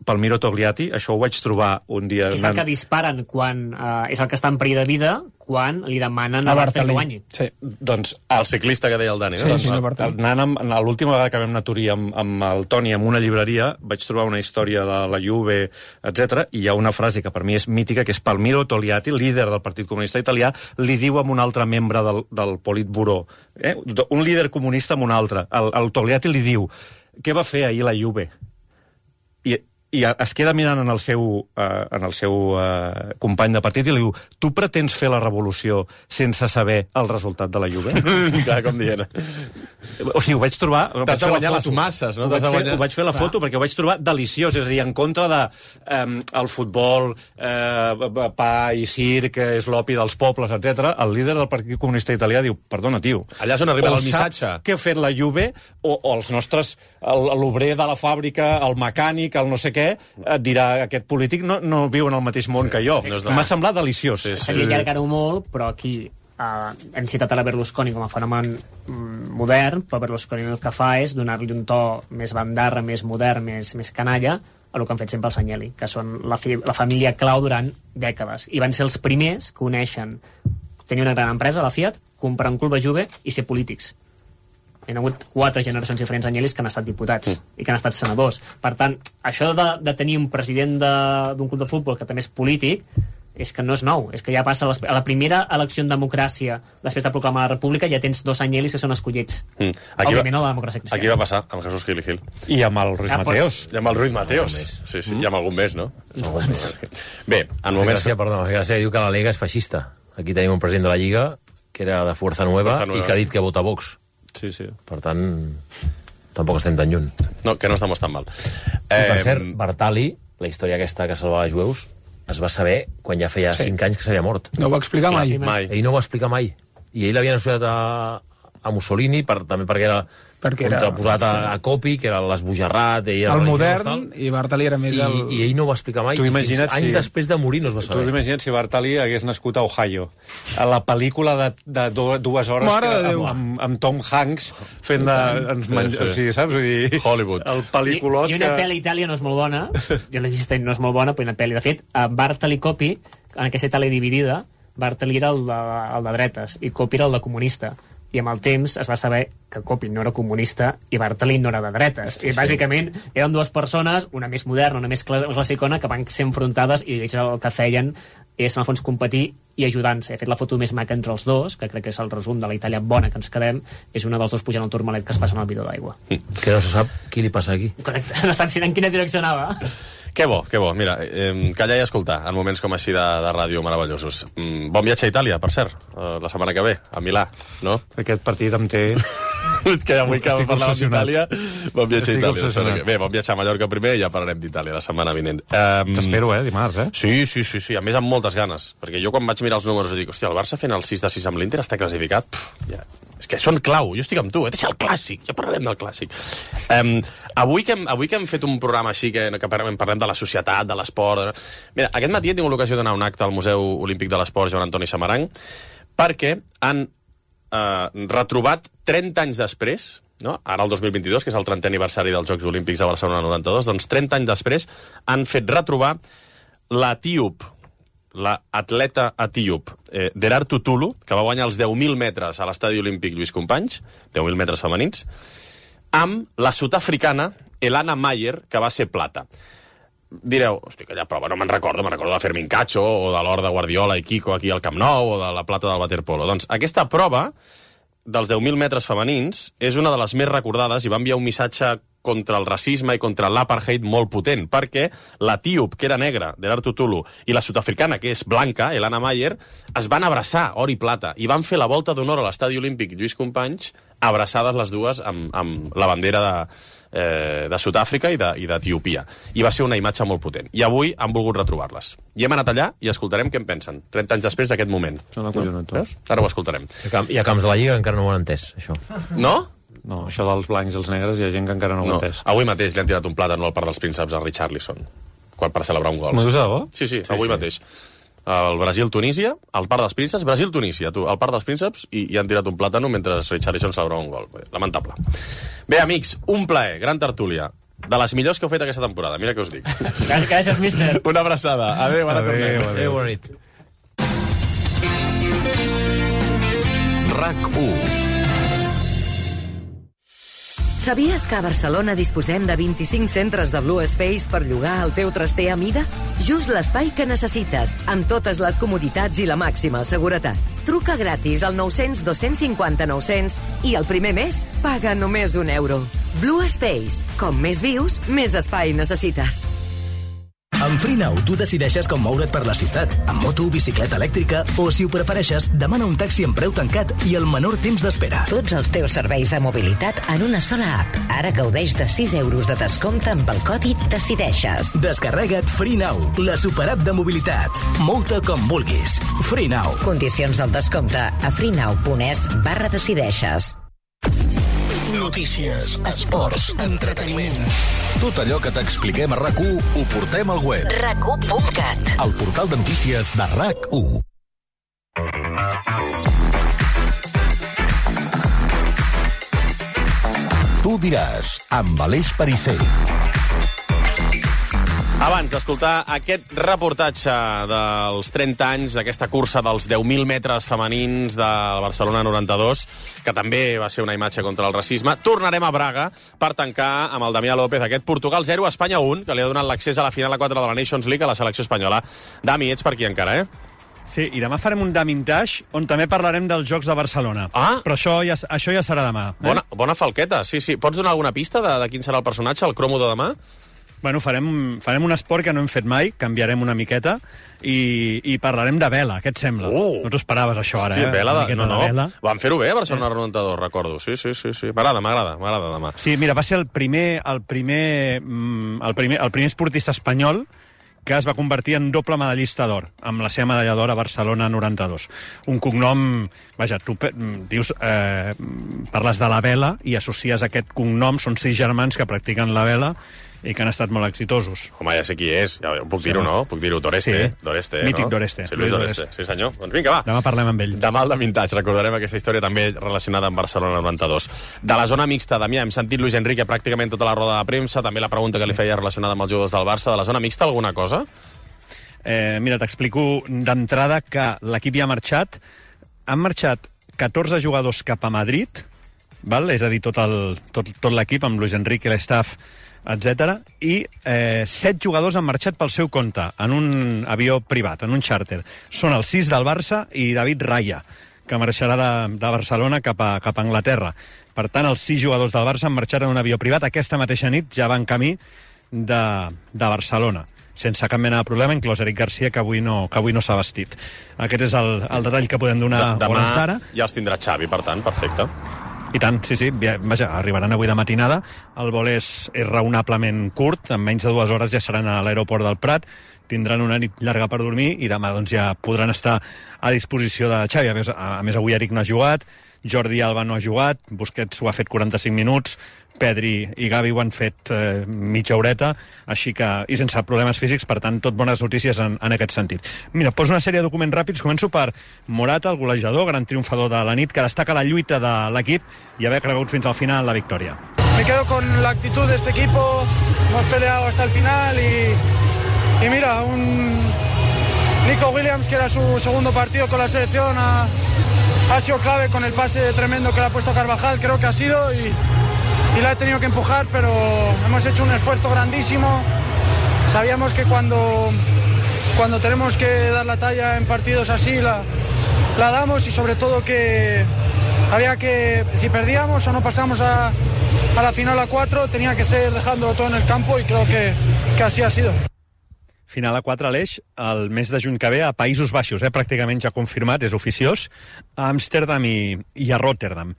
Speaker 1: Palmiro Togliatti, això ho vaig trobar un dia...
Speaker 5: És el que disparen quan és el que està en perill de vida, quan li demanen a Bartali que guanyi.
Speaker 1: Sí. Doncs
Speaker 3: el ciclista que deia el Dani, no?
Speaker 1: Sí, l'última vegada que vam anar a Turí amb el Toni en una llibreria, vaig trobar una història de la Juve, etc. I hi ha una frase que per mi és mítica, que és Palmiro Togliatti, líder del Partit Comunista Italià, li diu a un altre membre del Politburó, un líder comunista amb un altre, el Togliatti li diu: què va fer ahir la Juve? I es queda mirant en el seu company de partit i li diu: tu pretens fer la revolució sense saber el resultat de la Juve?
Speaker 3: Clar, com dient.
Speaker 1: O sigui, ho vaig trobar...
Speaker 3: T'has de guanyar les masses, no?
Speaker 1: Ho vaig fer la foto perquè ho vaig trobar deliciós, és a dir, en contra de el futbol, pa i circ, és l'opi dels pobles, etc. El líder del Partit Comunista Italià diu: perdona, tio,
Speaker 3: allà és on arriba el missatge.
Speaker 1: Saps què ha fet la Juve o els nostres... l'obrer de la fàbrica, el mecànic, el no sé què, et dirà: aquest polític no viu en el mateix món que jo. M'ha semblat deliciós.
Speaker 5: Seria allargar-ho molt, però aquí hem citat a la Berlusconi com a fenomen modern, però Berlusconi el que fa és donar-li un to més bandarra, més modern, més canalla, a el que han fet sempre els Agnelli, que són la família clau durant dècades. I van ser els primers que uneixen tenir una gran empresa, la Fiat, comprar un club de Juve i ser polítics. Hi ha hagut 4 generacions diferents Agnellis que han estat diputats i que han estat senadors. Per tant, això de tenir un president d'un club de futbol que també és polític és que no és nou, és que ja passa a la primera elecció en democràcia després de proclamar la república ja tens 2 Agnellis que són escollits. Òbviament a la democràcia cristiana.
Speaker 3: Aquí va passar amb Jesús Gil i Gil.
Speaker 1: I amb el Ruiz Mateos.
Speaker 3: I amb el Ruiz Mateos. Sí, i amb algun més, no? Bé, en moments...
Speaker 2: Gràcia, diu que la Liga és feixista. Aquí tenim un president de la Lliga que era de Fuerza Nueva i que ha dit que vota Vox.
Speaker 1: Sí.
Speaker 2: Per tant, tampoc estem tan lluny.
Speaker 3: No, que no estem tan mal.
Speaker 2: Per cert, Bartali, la història aquesta que salvava els jueus, es va saber quan ja feia 5 anys que s'havia mort.
Speaker 7: No ho va explicar mai.
Speaker 2: Ell no ho va explicar mai. I ell l'havien associat a Mussolini, també perquè era contraposat a Coppi, que era l'esbojarrat,
Speaker 7: el modern, i Bartali era més el...
Speaker 2: I ell no ho va explicar mai, anys després de morir no es va saber.
Speaker 1: Tu imagina't si Bartali hagués nascut a Ohio, a la pel·lícula de 2 hores amb Tom Hanks fent de... O sigui, saps?
Speaker 3: Hollywood.
Speaker 1: El pel·lículot
Speaker 5: I una pel·li a Itàlia no és molt bona, jo l'he vist, no és molt bona, però una pel·li, de fet, Bartali i Coppi, en aquesta Itàlia dividida, Bartali era el de dretes i Coppi era el de comunista. I amb el temps es va saber que Coppi no era comunista i Bartali no era de dretes. I bàsicament eren 2 persones, una més moderna, una més classicona, que van ser enfrontades i ells el que feien és, en el fons, competir i ajudant-se. He fet la foto més maca entre els dos, que crec que és el resum de la Itàlia bona que ens quedem, és una dels 2 pujant al turmalet que es passa en el bidó d'aigua.
Speaker 2: Que no se sap qui li passa aquí.
Speaker 5: Correcte, no saps en quina direcció anava.
Speaker 3: Que bo. Mira, callar i escoltar en moments com així de ràdio meravellosos. Bon viatge a Itàlia, per cert, la setmana que ve, a Milà, no?
Speaker 1: Aquest partit em té...
Speaker 3: que avui que parlàvem d'Itàlia, bon viatge a Itàlia. Bé, bon viatge a Mallorca primer i ja parlarem d'Itàlia la setmana vinent.
Speaker 1: T'espero, dimarts,
Speaker 3: Sí, a més amb moltes ganes, perquè jo quan vaig mirar els números dic, hòstia, el Barça fent el 6-6 amb l'Inter està classificat, és que són clau, jo estic amb tu, deixa el clàssic, ja parlarem del clàssic. Avui que hem fet un programa així, que parlem de la societat, de l'esport... Mira, aquest matí he tingut l'ocasió d'anar a un acte al Museu Olímpic de l'Esport Joan Antoni Samaranch, perquè han retrobat 30 anys després, no? Ara el 2022, que és el 30è aniversari dels Jocs Olímpics de Barcelona 92, doncs 30 anys després han fet retrobar l'etíop, l'atleta etíop Derartu Tulu, que va guanyar els 10.000 metres a l'estadi olímpic Lluís Companys, 10.000 metres femenins, amb la sud-africana Elana Mayer, que va ser plata. Direu, hosti, aquella prova no me'n recordo de Fermín Cacho, o de l'or de Guardiola i Kiko aquí al Camp Nou, o de la plata del waterpolo. Doncs aquesta prova dels 10.000 metres femenins és una de les més recordades i va enviar un missatge contra el racisme i contra l'apartheid molt potent, perquè l'etíop, que era negra, Derartu Tulu, i la sud-africana, que és blanca, Elana Mayer, es van abraçar, or i plata, i van fer la volta d'honor a l'estadi olímpic Lluís Companys, abraçades les dues amb la bandera de Sud-àfrica i d'Etiòpia. I va ser una imatge molt potent. I avui han volgut retrobar-les. I hem anat allà i escoltarem què en pensen, 30 anys després d'aquest moment. Veus? Ara ho escoltarem.
Speaker 2: Hi ha camps de la Lliga que encara no ho han entès, això.
Speaker 3: No?
Speaker 1: No, això dels blancs i els negres hi ha gent que encara no ho ha entès.
Speaker 3: Avui mateix li han tirat un plàtan al Parc dels Prínceps a Richarlison, quan per celebrar un gol.
Speaker 1: M'ho dius de debò?
Speaker 3: Sí, avui mateix. El Brasil-Tunísia, al Parc dels Prínceps, Brasil-Tunísia, al Parc dels Prínceps, i han tirat un plàtano mentre Richarlison celebrava un gol. Lamentable. Bé, amics, un plaer, gran tertúlia. De les millors que heu fet aquesta temporada, mira què us dic.
Speaker 5: Gràcies, míster.
Speaker 3: Una abraçada. Adéu, ara tornem.
Speaker 2: Adéu, bona nit.
Speaker 11: RAC1. Sabies que a Barcelona disposem de 25 centres de Blue Space per llogar el teu traster a mida? Just l'espai que necessites, amb totes les comoditats i la màxima seguretat. Truca gratis al 900 250 900 i el primer mes paga només €1. Blue Space. Com més vius, més espai necessites.
Speaker 12: Amb FreeNow tu decideixes com moure't per la ciutat, amb moto, bicicleta elèctrica o, si ho prefereixes, demana un taxi amb preu tancat i el menor temps d'espera.
Speaker 13: Tots els teus serveis de mobilitat en una sola app. Ara gaudeix de €6 de descompte amb el codi DECIDEIXES.
Speaker 12: Descarrega't FreeNow, la superapp de mobilitat. Mou-te com vulguis. FreeNow.
Speaker 13: Condicions del descompte a freenow.es/decideixes.
Speaker 14: Notícies, esports, entreteniment.
Speaker 11: Tot allò que t'expliquem a RAC1 ho portem al web.
Speaker 14: RAC1.cat.
Speaker 11: El portal de notícies de RAC1. Tu diràs, amb Aleix Perisser.
Speaker 3: Abans d'escoltar aquest reportatge dels 30 anys d'aquesta cursa dels 10.000 metres femenins de Barcelona 92, que també va ser una imatge contra el racisme, tornarem a Braga per tancar amb el Damià López aquest Portugal 0, Espanya 1, que li ha donat l'accés a la final a 4 de la Nations League a la selecció espanyola. Dami, ets per aquí encara, eh?
Speaker 15: Sí, i demà farem un Damintage on també parlarem dels Jocs de Barcelona.
Speaker 3: Ah!
Speaker 15: Però això ja serà demà.
Speaker 3: Bona falqueta, sí. Pots donar alguna pista de quin serà el personatge, el cromo de demà?
Speaker 15: Bueno, farem un esport que no hem fet mai, canviarem una miqueta i parlarem de vela, què et sembla? No t'ho esperaves, això, ara,
Speaker 3: sí, vela
Speaker 15: de vela.
Speaker 3: Van fer-ho bé a Barcelona 92, recordo. Sí. M'agrada demà.
Speaker 15: Sí, mira, va ser el primer esportista espanyol que es va convertir en doble medallista d'or, amb la seva medalla d'or a Barcelona 92. Un cognom... Vaja, tu dius... parles de la vela i associes aquest cognom, són 6 germans que practiquen la vela i que han estat molt exitosos.
Speaker 3: Home, ja sé qui és, ja puc dir-ho, no? Puc dir-ho, Doreste,
Speaker 15: Sí.
Speaker 3: Doreste,
Speaker 15: Mític
Speaker 3: no?
Speaker 15: Doreste.
Speaker 3: Sí, Luis Doreste, sí senyor. Doncs vinga, va.
Speaker 15: Demà parlem amb ell.
Speaker 3: Demà al de Vintage, recordarem aquesta història també relacionada amb Barcelona 92. De la zona mixta, Damià, hem sentit Luis Enrique pràcticament tota la roda de premsa, també la pregunta que li feia relacionada amb els jugadors del Barça. De la zona mixta, alguna cosa?
Speaker 15: Mira, t'explico d'entrada que l'equip ja ha marxat. Han marxat 14 jugadors cap a Madrid, val? És a dir, tot l'equip, amb Luis Enrique, l'estaff, etc. I 7 jugadors han marxat pel seu compte, en un avió privat, en un xàrter. Són els 6 del Barça i David Raya, que marxarà de Barcelona cap a Anglaterra. Per tant, els 6 jugadors del Barça han marxat en un avió privat. Aquesta mateixa nit ja van camí de Barcelona, sense cap mena de problema, inclòs Eric Garcia, que avui no s'ha vestit. Aquest és el detall que podem donar a hores d'ara.
Speaker 3: Demà ja els tindrà Xavi, per tant, perfecte.
Speaker 15: I tant, sí. Vaja, arribaran avui de matinada. El vol és raonablement curt, en menys de 2 hores ja seran a l'aeroport del Prat, tindran una nit llarga per dormir i demà doncs, ja podran estar a disposició de Xavi. A més, avui Eric no ha jugat, Jordi Alba no ha jugat, Busquets ho ha fet 45 minuts, Pedri i Gavi ho han fet mitja horeta, així que, i sense problemes físics, per tant, tot bones notícies en aquest sentit. Mira, poso una sèrie de documents ràpids. Començo per Morata, el golejador, gran triomfador de la nit, que destaca la lluita de l'equip i haver cregut fins al final la victòria.
Speaker 16: Me quedo con la actitud de este equipo, hemos peleado hasta el final y mira, un Nico Williams, que era su segundo partido con la selección, ha sido clave con el pase tremendo que le ha puesto Carvajal, creo que ha sido, y la he tenido que empujar, pero hemos hecho un esfuerzo grandísimo. Sabíamos que cuando tenemos que dar la talla en partidos así, la damos, y sobre todo que había que, si perdíamos o no pasamos a la final a 4, tenía que ser dejándolo todo en el campo, y creo que así ha sido.
Speaker 15: Final a 4 a l'Eix, el mes de juny que ve a Països Baixos, pràcticament ja confirmat, és oficiós, a Amsterdam i a Rotterdam.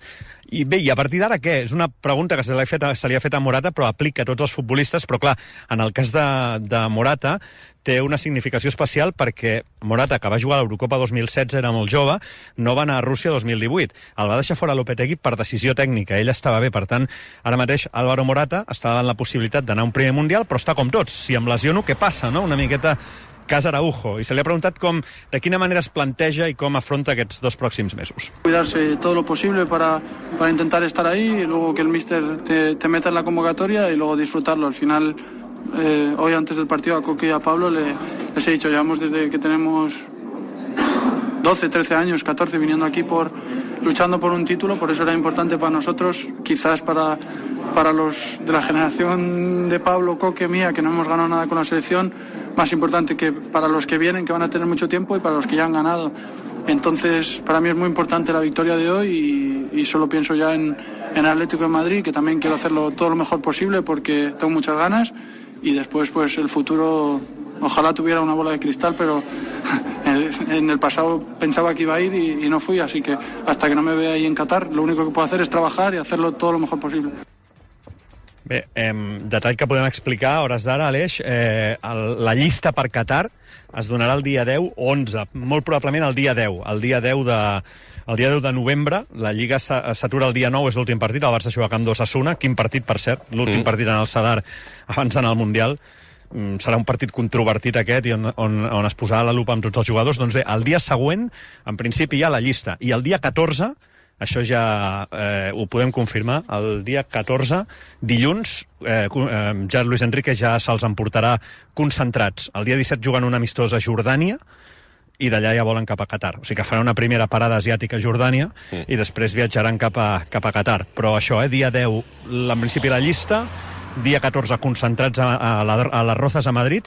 Speaker 15: I bé, i a partir d'ara què? És una pregunta que se li ha fet a Morata, però aplica a tots els futbolistes, però clar, en el cas de Morata té una significació especial perquè Morata, que va jugar a l'Eurocopa 2016, era molt jove, no va anar a Rússia 2018. El va deixar fora Lopetegui per decisió tècnica, ell estava bé, per tant, ara mateix Álvaro Morata està davant la possibilitat d'anar a un primer Mundial, però està com tots. Si em lesiono, què passa, no? Una miqueta cas Araujo, i se li ha preguntat de quina manera es planteja i com afronta aquests 2 pròxims mesos.
Speaker 16: Cuidarse todo lo posible para intentar estar ahí, y luego que el míster te meta en la convocatoria y luego disfrutarlo. Al final, hoy antes del partido a Coque y a Pablo les he dicho, llevamos desde que tenemos 12, 13 años, 14, viniendo aquí luchando por un título, por eso era importante para nosotros, quizás para los de la generación de Pablo, Coque, mía, que no hemos ganado nada con la selección, más importante que para los que vienen, que van a tener mucho tiempo, y para los que ya han ganado. Entonces, para mí es muy importante la victoria de hoy, y solo pienso ya en Atlético de Madrid, que también quiero hacerlo todo lo mejor posible porque tengo muchas ganas, y después pues el futuro, ojalá tuviera una bola de cristal, pero en el pasado pensaba que iba a ir y no fui, así que hasta que no me vea ahí en Qatar, lo único que puedo hacer es trabajar y hacerlo todo lo mejor posible.
Speaker 15: Bé, detall que podem explicar a hores d'ara, Aleix, la llista per Qatar es donarà el dia 10 o 11, molt probablement el dia 10, el dia 10 de novembre. La Lliga s'atura el dia 9, és l'últim partit, el Barça juga a Camp d'Osasuna, quin partit, per cert, l'últim partit en el Sadar abans d'anar al Mundial. Serà un partit controvertit aquest, i on es posarà la lupa amb tots els jugadors. Doncs bé, el dia següent, en principi, hi ha la llista, i el dia 14, això ja ho podem confirmar, el dia 14, dilluns, ja Luis Enrique ja se'ls emportarà concentrats. El dia 17 juguen un amistós a Jordània, i d'allà ja volen cap a Qatar. O sigui que faran una primera parada asiàtica a Jordània i després viatjaran cap a Qatar. Però això, dia 10, en principi la llista, dia 14 concentrats a les Rozas a Madrid,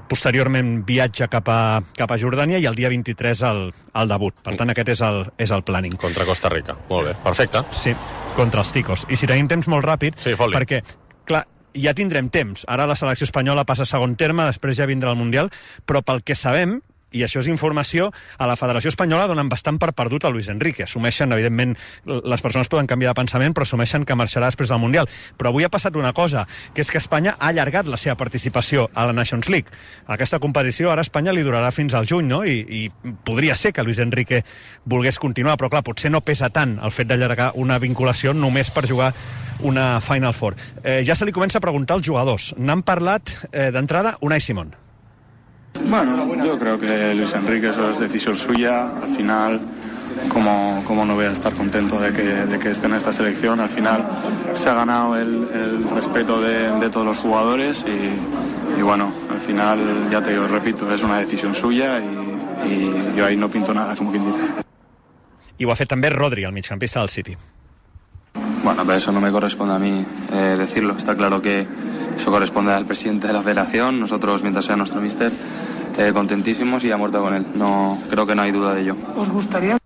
Speaker 15: posteriorment viatge cap a Jordània, i el dia 23 el debut. Per tant, aquest és el planning.
Speaker 3: Contra Costa Rica. Molt bé, perfecte.
Speaker 15: Sí, contra els ticos. I si tenim temps molt ràpid, perquè, clar, ja tindrem temps. Ara la selecció espanyola passa a segon terme, després ja vindrà el Mundial, però pel que sabem, i això és informació, a la Federació Espanyola donen bastant per perdut a Luis Enrique. Assumeixen, evidentment, les persones poden canviar de pensament, però assumeixen que marxarà després del Mundial. Però avui ha passat una cosa, que és que Espanya ha allargat la seva participació a la Nations League. Aquesta competició ara a Espanya li durarà fins al juny, no? I podria ser que Luis Enrique volgués continuar, però clar, potser no pesa tant el fet d'allargar una vinculació només per jugar una Final Four. Ja se li comença a preguntar als jugadors. N'han parlat d'entrada Unai Simón.
Speaker 17: Bueno, yo creo que Luis Enrique eso es decisión suya. Al final, como no voy a estar contento de que esté en esta selección, al final se ha ganado el respeto de todos los jugadores y bueno, al final, ya te digo, repito, es una decisión suya y yo ahí no pinto nada, como quien dice.
Speaker 15: I ho ha fet també Rodri, el migcampista del City.
Speaker 18: Bueno, pero eso no me corresponde a mí decirlo. Está claro que eso corresponde al presidente de la federación. Nosotros, mientras sea nuestro míster, contentísimos y a muerte con él. No, creo que no hay duda de ello.
Speaker 16: ¿Os gustaría?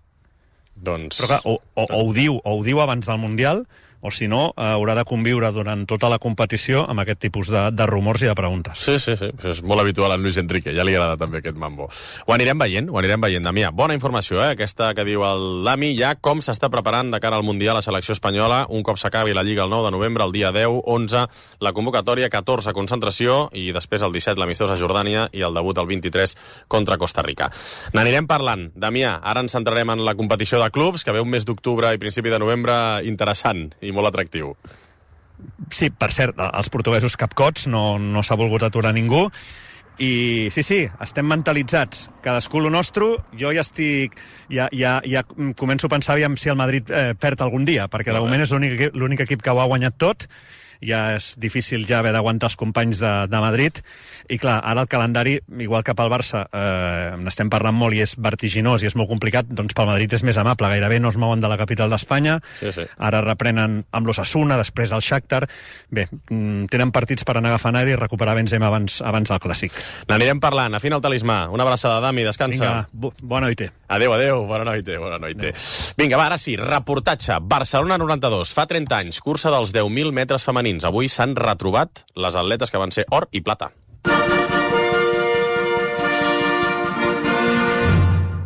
Speaker 3: Doncs...
Speaker 15: Però clar, o ho diu abans del Mundial, o si no, haurà de conviure durant tota la competició amb aquest tipus de rumors i de preguntes.
Speaker 3: Sí. Això és molt habitual en Luis Enrique. Ja li agrada també aquest mambo. Ho anirem veient, Damià. Bona informació, aquesta que diu el Dami, ja com s'està preparant de cara al Mundial a la selecció espanyola. Un cop s'acabi la Lliga el 9 de novembre, el dia 10, 11, la convocatòria, 14, concentració, i després el 17, l'amistós a Jordània, i el debut el 23 contra Costa Rica. N'anirem parlant. Damià, ara ens centrarem en la competició de clubs, que ve un mes d'octubre i principi de novembre interessant i molt atractiu.
Speaker 15: Sí, per cert, els portuguesos capcots, no s'ha volgut aturar ningú, i sí, estem mentalitzats, cadascú lo nostre. Jo ja estic, ja començo a pensar si el Madrid perd algun dia, perquè de moment és l'únic equip que ho ha guanyat tot. Ja és difícil ja haver d'aguantar els companys de Madrid, i clar, ara el calendari, igual que pel Barça n'estem parlant molt i és vertiginós i és molt complicat, doncs pel Madrid és més amable, gairebé no es mouen de la capital d'Espanya.
Speaker 3: Sí. Ara
Speaker 15: reprenen amb l'Osasuna, després el Shakhtar. Bé, tenen partits per anar agafant aire i recuperar Benzema abans del Clàssic.
Speaker 3: N'anirem parlant. Afina el talismà. Una abraçada, Dami, descansa.
Speaker 15: Vinga, bona noite.
Speaker 3: Adéu, bona noite. Vinga, va, ara sí, reportatge. Barcelona 92, fa 30 anys, cursa dels 10.000 metres femenins. Avui s'han retrobat les atletes que van ser or i plata.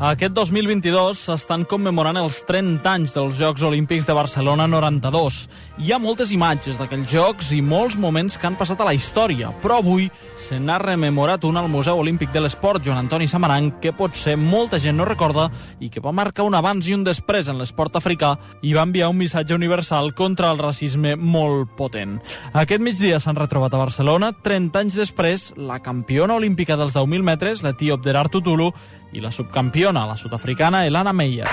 Speaker 19: Aquest 2022 s'estan commemorant els 30 anys dels Jocs Olímpics de Barcelona 92. Hi ha moltes imatges d'aquells Jocs i molts moments que han passat a la història, però avui se n'ha rememorat un al Museu Olímpic de l'Esport, Joan Antoni Samaranch, que potser molta gent no recorda i que va marcar un abans i un després en l'esport africà i va enviar un missatge universal contra el racisme molt potent. Aquest migdia s'han retrobat a Barcelona, 30 anys després, la campiona olímpica dels 10.000 metres, l'etíop Derartu Tulu, i la subcampiona, la sud-africana Elana Meyer.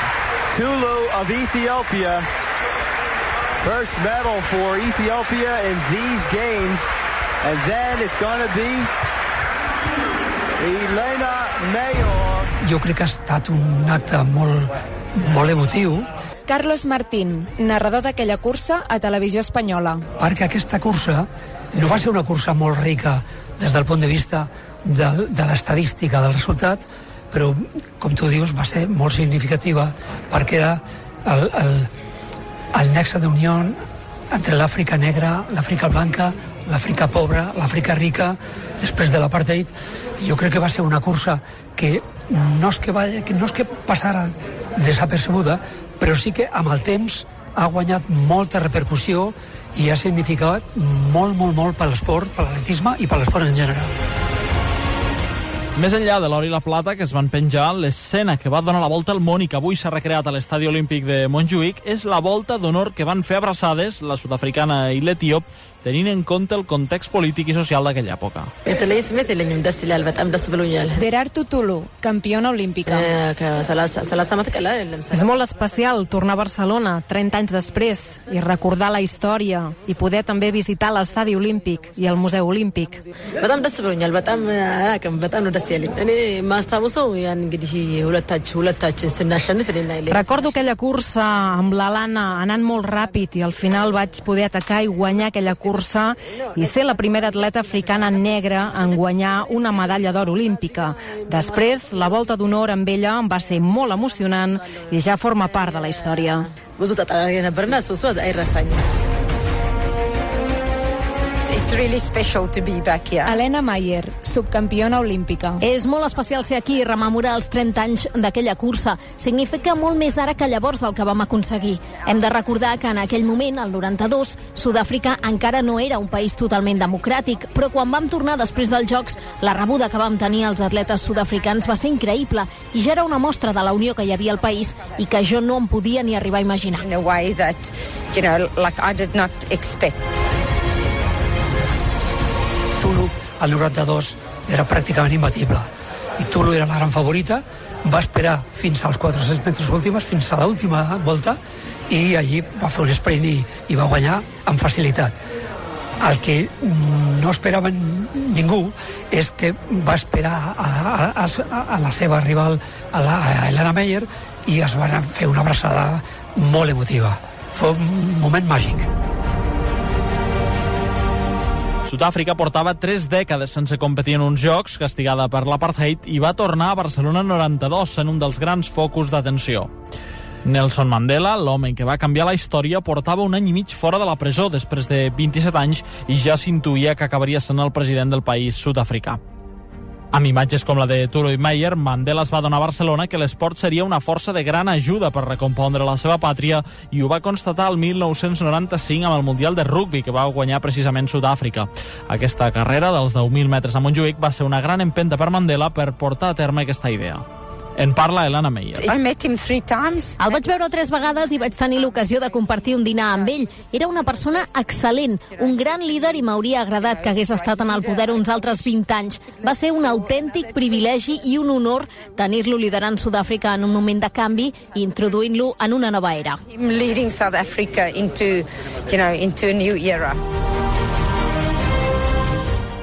Speaker 20: Tulu of Ethiopia. First medal for Ethiopia in these games. And then it's going to be Elana Meyer.
Speaker 21: Jo crec que ha estat un acte molt emotiu.
Speaker 22: Carlos Martín, narrador d'aquella cursa a Televisió Espanyola.
Speaker 21: Perquè aquesta cursa no va ser una cursa molt rica des del punt de vista de l'estadística del resultat, però, com tu dius, va ser molt significativa perquè era el nexe d'unió entre l'Àfrica negra, l'Àfrica blanca, l'Àfrica pobra, l'Àfrica rica, després de l'apartheid. Jo crec que va ser una cursa que no és que passara desapercebuda, però sí que amb el temps ha guanyat molta repercussió i ha significat molt per l'esport, per l'atletisme i per l'esport en general.
Speaker 19: Més enllà de l'or i la plata que es van penjar, l'escena que va donar la volta al món i que avui s'ha recreat a l'Estadi Olímpic de Montjuïc és la volta d'honor que van fer abraçades la sud-africana i l'etíop, tenint en compte el context polític i social d'aquella època.
Speaker 22: Derartu Tulu, campiona olímpica.
Speaker 23: És molt especial tornar a Barcelona 30 anys després i recordar la història i poder també visitar l'Estadi Olímpic i el Museu Olímpic. Recordo aquella cursa amb l'Alana anant molt ràpid i al final vaig poder atacar i guanyar aquella cursa i ser la primera atleta africana negra en guanyar una medalla d'or olímpica. Després, la volta d'honor amb ella va ser molt emocionant i ja forma part de la història.
Speaker 4: It's really special to be back here.
Speaker 22: Helena Mayer, subcampiona olímpica.
Speaker 6: És molt especial ser aquí i rememorar els 30 anys d'aquella cursa. Significa molt més ara que llavors el que vam aconseguir. Hem de recordar que en aquell moment, el 92, Sud-àfrica encara no era un país totalment democràtic, però quan vam tornar després dels Jocs, la rebuda que vam tenir als atletes sud-africans va ser increïble i ja era una mostra de la unió que hi havia al país i que jo no em podia ni arribar a imaginar.
Speaker 4: In a way that, you know, like I did not expect.
Speaker 21: Tulu, al 92, era pràcticament imbatible. I Tulu era la gran favorita, va esperar fins als 400 metres últims, fins a l'última volta, i allí va fer un sprint i va guanyar amb facilitat. El que no esperava ningú és que va esperar a la seva rival, a Helena Mayer, i es van fer una abraçada molt emotiva. Fou un moment màgic.
Speaker 19: Sud-àfrica portava 3 dècades sense competir en uns Jocs, castigada per l'apartheid, i va tornar a Barcelona 92 en un dels grans focus d'atenció. Nelson Mandela, l'home que va canviar la història, portava un any i mig fora de la presó després de 27 anys i ja s'intuïa que acabaria sent el president del país sud-africà. Amb imatges com la de Tulu i Meyer, Mandela es va donar a Barcelona que l'esport seria una força de gran ajuda per recompondre la seva pàtria i ho va constatar el 1995 amb el Mundial de Rugby que va guanyar precisament Sud-àfrica. Aquesta carrera dels 10.000 metres a Montjuïc va ser una gran empenta per Mandela per portar a terme aquesta idea. En parla Helena Mayer.
Speaker 4: I met him 3 times.
Speaker 6: El vaig veure 3 vegades i vaig tenir l'ocasió de compartir un dinar amb ell. Era una persona excel·lent, un gran líder i m'hauria agradat que hagués estat en el poder uns altres 20 anys. Va ser un autèntic privilegi i un honor tenir-lo liderant Sud-àfrica en un moment de canvi i introduint-lo en una nova era.
Speaker 4: Leading South Africa into a new era.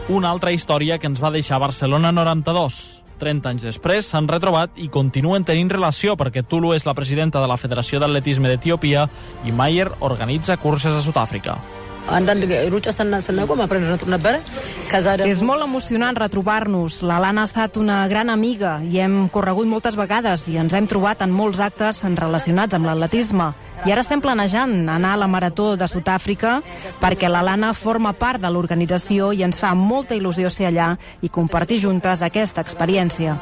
Speaker 19: Una altra història que ens va deixar Barcelona 92. 30 anys després s'han retrobat i continuen tenint relació perquè Tulu és la presidenta de la Federació d'Atletisme d'Etiòpia i Meyer organitza curses a Sud-àfrica.
Speaker 23: És molt emocionant retrobar-nos. La Lana ha estat una gran amiga i hem corregut moltes vegades i ens hem trobat en molts actes relacionats amb l'atletisme. I ara estem planejant anar a la Marató de Sud-àfrica perquè la Lana forma part de l'organització i ens fa molta il·lusió ser allà i compartir juntes aquesta experiència.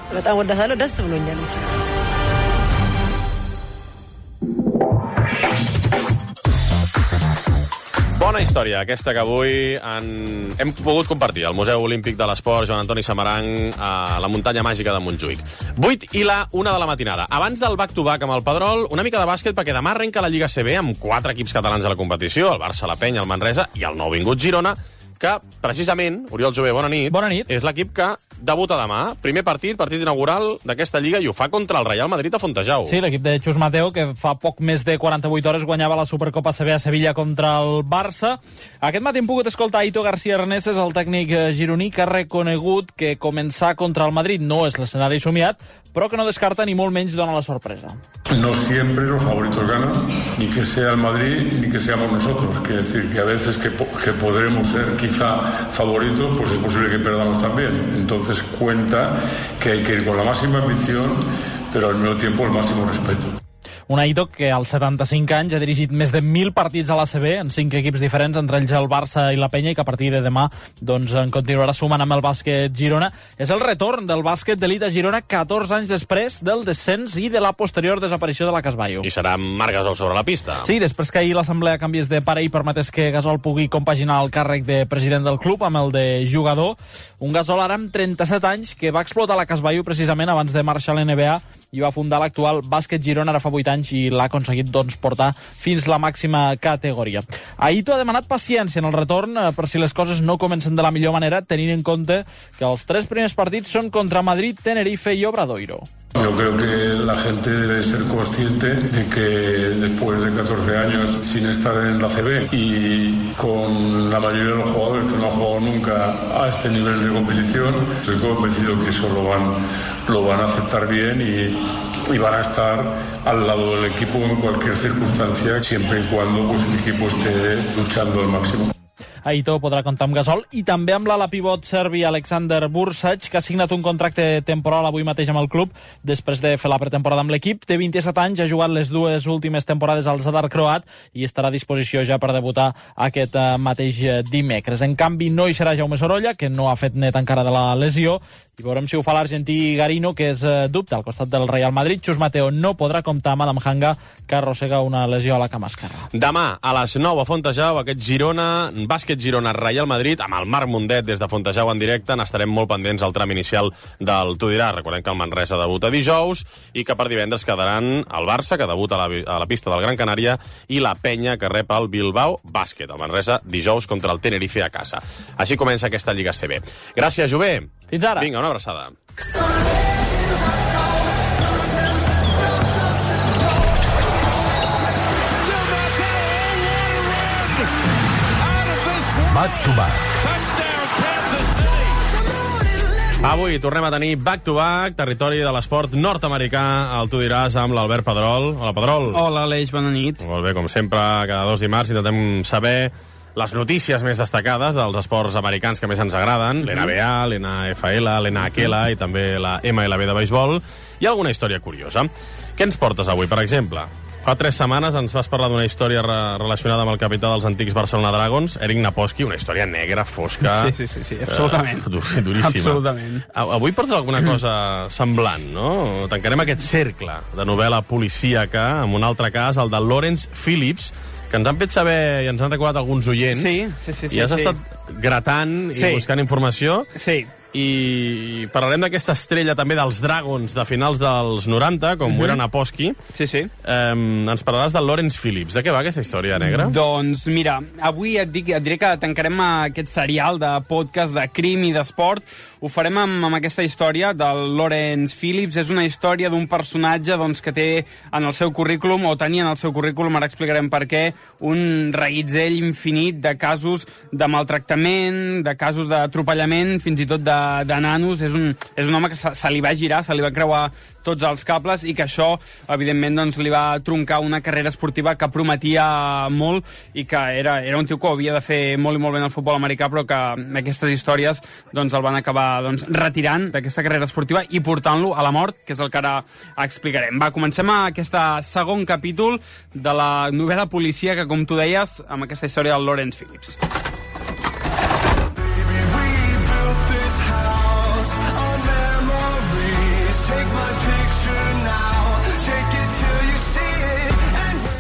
Speaker 3: Bona història, aquesta que avui hem pogut compartir al Museu Olímpic de l'Esport Joan Antoni Samaranch a la muntanya màgica de Montjuïc. 8 i la 1 de la matinada. Abans del back-to-back amb el Pedrol, una mica de bàsquet perquè demà arrenca la Lliga CB amb 4 equips catalans a la competició, el Barça, la Penya, el Manresa i el nouvingut Girona, que precisament, Oriol Jové, bona nit.
Speaker 19: Bona nit.
Speaker 3: És l'equip que debuta demà. Primer partit inaugural d'aquesta Lliga i ho fa contra el Real Madrid a Fontejau.
Speaker 19: Sí, l'equip de Xus Mateo, que fa poc més de 48 hores guanyava la Supercopa CB a Sevilla contra el Barça. Aquest matí hem pogut escoltar Ito García Reneses, el tècnic gironí, que ha reconegut que començar contra el Madrid no és l'escenari somiat, però que no descarta ni molt menys dona la sorpresa.
Speaker 8: No siempre los favoritos ganan, ni que sea el Madrid, ni que seamos nosotros. Quiere decir que a veces que podremos ser quizá favoritos, pues es posible que perdamos también. Entonces cuenta que hay que ir con la máxima ambición, pero al mismo tiempo el máximo respeto.
Speaker 19: Un Aito que als 75 anys ha dirigit més de 1.000 partits a l'ACB en 5 equips diferents, entre ells el Barça i la Penya, i que a partir de demà doncs, en continuarà sumant amb el bàsquet Girona. És el retorn del bàsquet d'elit a Girona 14 anys després del descens i de la posterior desaparició de la Casballo.
Speaker 3: I serà Marc Gasol sobre la pista.
Speaker 19: Sí, després que ahir l'assemblea canviés de pare i permetés que Gasol pugui compaginar el càrrec de president del club amb el de jugador, un Gasol ara amb 37 anys que va explotar la Casballo precisament abans de marxar a l'NBA i va fundar l'actual bàsquet Girona ara fa 8 anys i l'ha aconseguit doncs, portar fins la màxima categoria. Aito ha demanat paciència en el retorn per si les coses no comencen de la millor manera, tenint en compte que els 3 primers partits són contra Madrid, Tenerife i Obradoiro.
Speaker 8: Yo creo que la gente debe ser consciente de que después de 14 años sin estar en la CB y con la mayoría de los jugadores que no han jugado nunca a este nivel de competición, estoy convencido que eso lo van a aceptar bien y van a estar al lado del equipo en cualquier circunstancia, siempre y cuando pues, el equipo esté luchando al máximo.
Speaker 19: Aitor podrà comptar amb Gasol, i també amb l'ala pivot serbi Aleksandar Bursac, que ha signat un contracte temporal avui mateix amb el club, després de fer la pretemporada amb l'equip. Té 27 anys, ha jugat les 2 últimes temporades al Zadar croat i estarà a disposició ja per debutar aquest mateix dimecres. En canvi, no hi serà Jaume Sorolla, que no ha fet net encara de la lesió, i veurem si ho fa l'argentí Garino, que és dubte al costat del Real Madrid. Xus Mateo no podrà comptar amb Adam Hanga, que arrossega una lesió a la cama esquerra.
Speaker 3: Demà, a les 9 a Fontejau, aquest Girona, bàsquet Girona Real Madrid, amb el Marc Mundet des de Fontejau en directe. N'estarem molt pendents al tram inicial del Tu diràs. Recordem que el Manresa debuta dijous i que per divendres quedaran el Barça, que debuta a la pista del Gran Canària, i la Penya, que rep el Bilbao Bàsquet. El Manresa dijous contra el Tenerife a casa. Així comença aquesta Lliga CB. Gràcies, Jové.
Speaker 19: Fins ara.
Speaker 3: Vinga, una abraçada.
Speaker 7: Back to back.
Speaker 3: Avui tornem a tenir back-to-back, territori de l'esport nord-americà, al Tu diràs, amb l'Albert Pedrol. Hola, Pedrol.
Speaker 9: Hola, Aleix, bona nit.
Speaker 3: Molt bé, com sempre, cada 2 dimarts intentem saber les notícies més destacades dels esports americans que més ens agraden, l'NBA, l'NFL, l'NHL i també la MLB de béisbol, i alguna història curiosa. Què ens portes avui, per exemple? Fa 3 setmanes ens vas parlar d'una història relacionada amb el capità dels antics Barcelona Dragons, Eric Naposki, una història negra, fosca...
Speaker 9: Sí, absolutament.
Speaker 3: Duríssima.
Speaker 9: Absolutament.
Speaker 3: Avui portes alguna cosa semblant, no? Tancarem aquest cercle de novel·la policíaca amb un altre cas, el de Lawrence Phillips, que ens han fet saber i ens han recordat alguns oients.
Speaker 9: Sí.
Speaker 3: I has estat gratant i buscant informació.
Speaker 9: Sí.
Speaker 3: I parlarem d'aquesta estrella també dels Dragons de finals dels 90, com ho era Naposki.
Speaker 9: Sí.
Speaker 3: Ens parlaràs del Lawrence Phillips. De què va aquesta història negra?
Speaker 9: Doncs mira, avui et diré que tancarem aquest serial de podcast de crim i d'esport. Ho farem amb aquesta història del Lawrence Phillips. És una història d'un personatge que té en el seu currículum, o tenia en el seu currículum, ara explicarem per què, un reguitzell infinit de casos de maltractament, de casos d'atropellament, fins i tot de nanos. És un home que se li va girar, se li va creuar tots els cables, i que això, evidentment, li va troncar una carrera esportiva que prometia molt, i que era un tio que havia de fer molt i molt bé en el futbol americà, però que aquestes històries el van acabar retirant d'aquesta carrera esportiva i portant-lo a la mort, que és el que ara explicarem. Va, comencem aquest segon capítol de la novel·la policia que, com tu deies, amb aquesta història del Lawrence Phillips.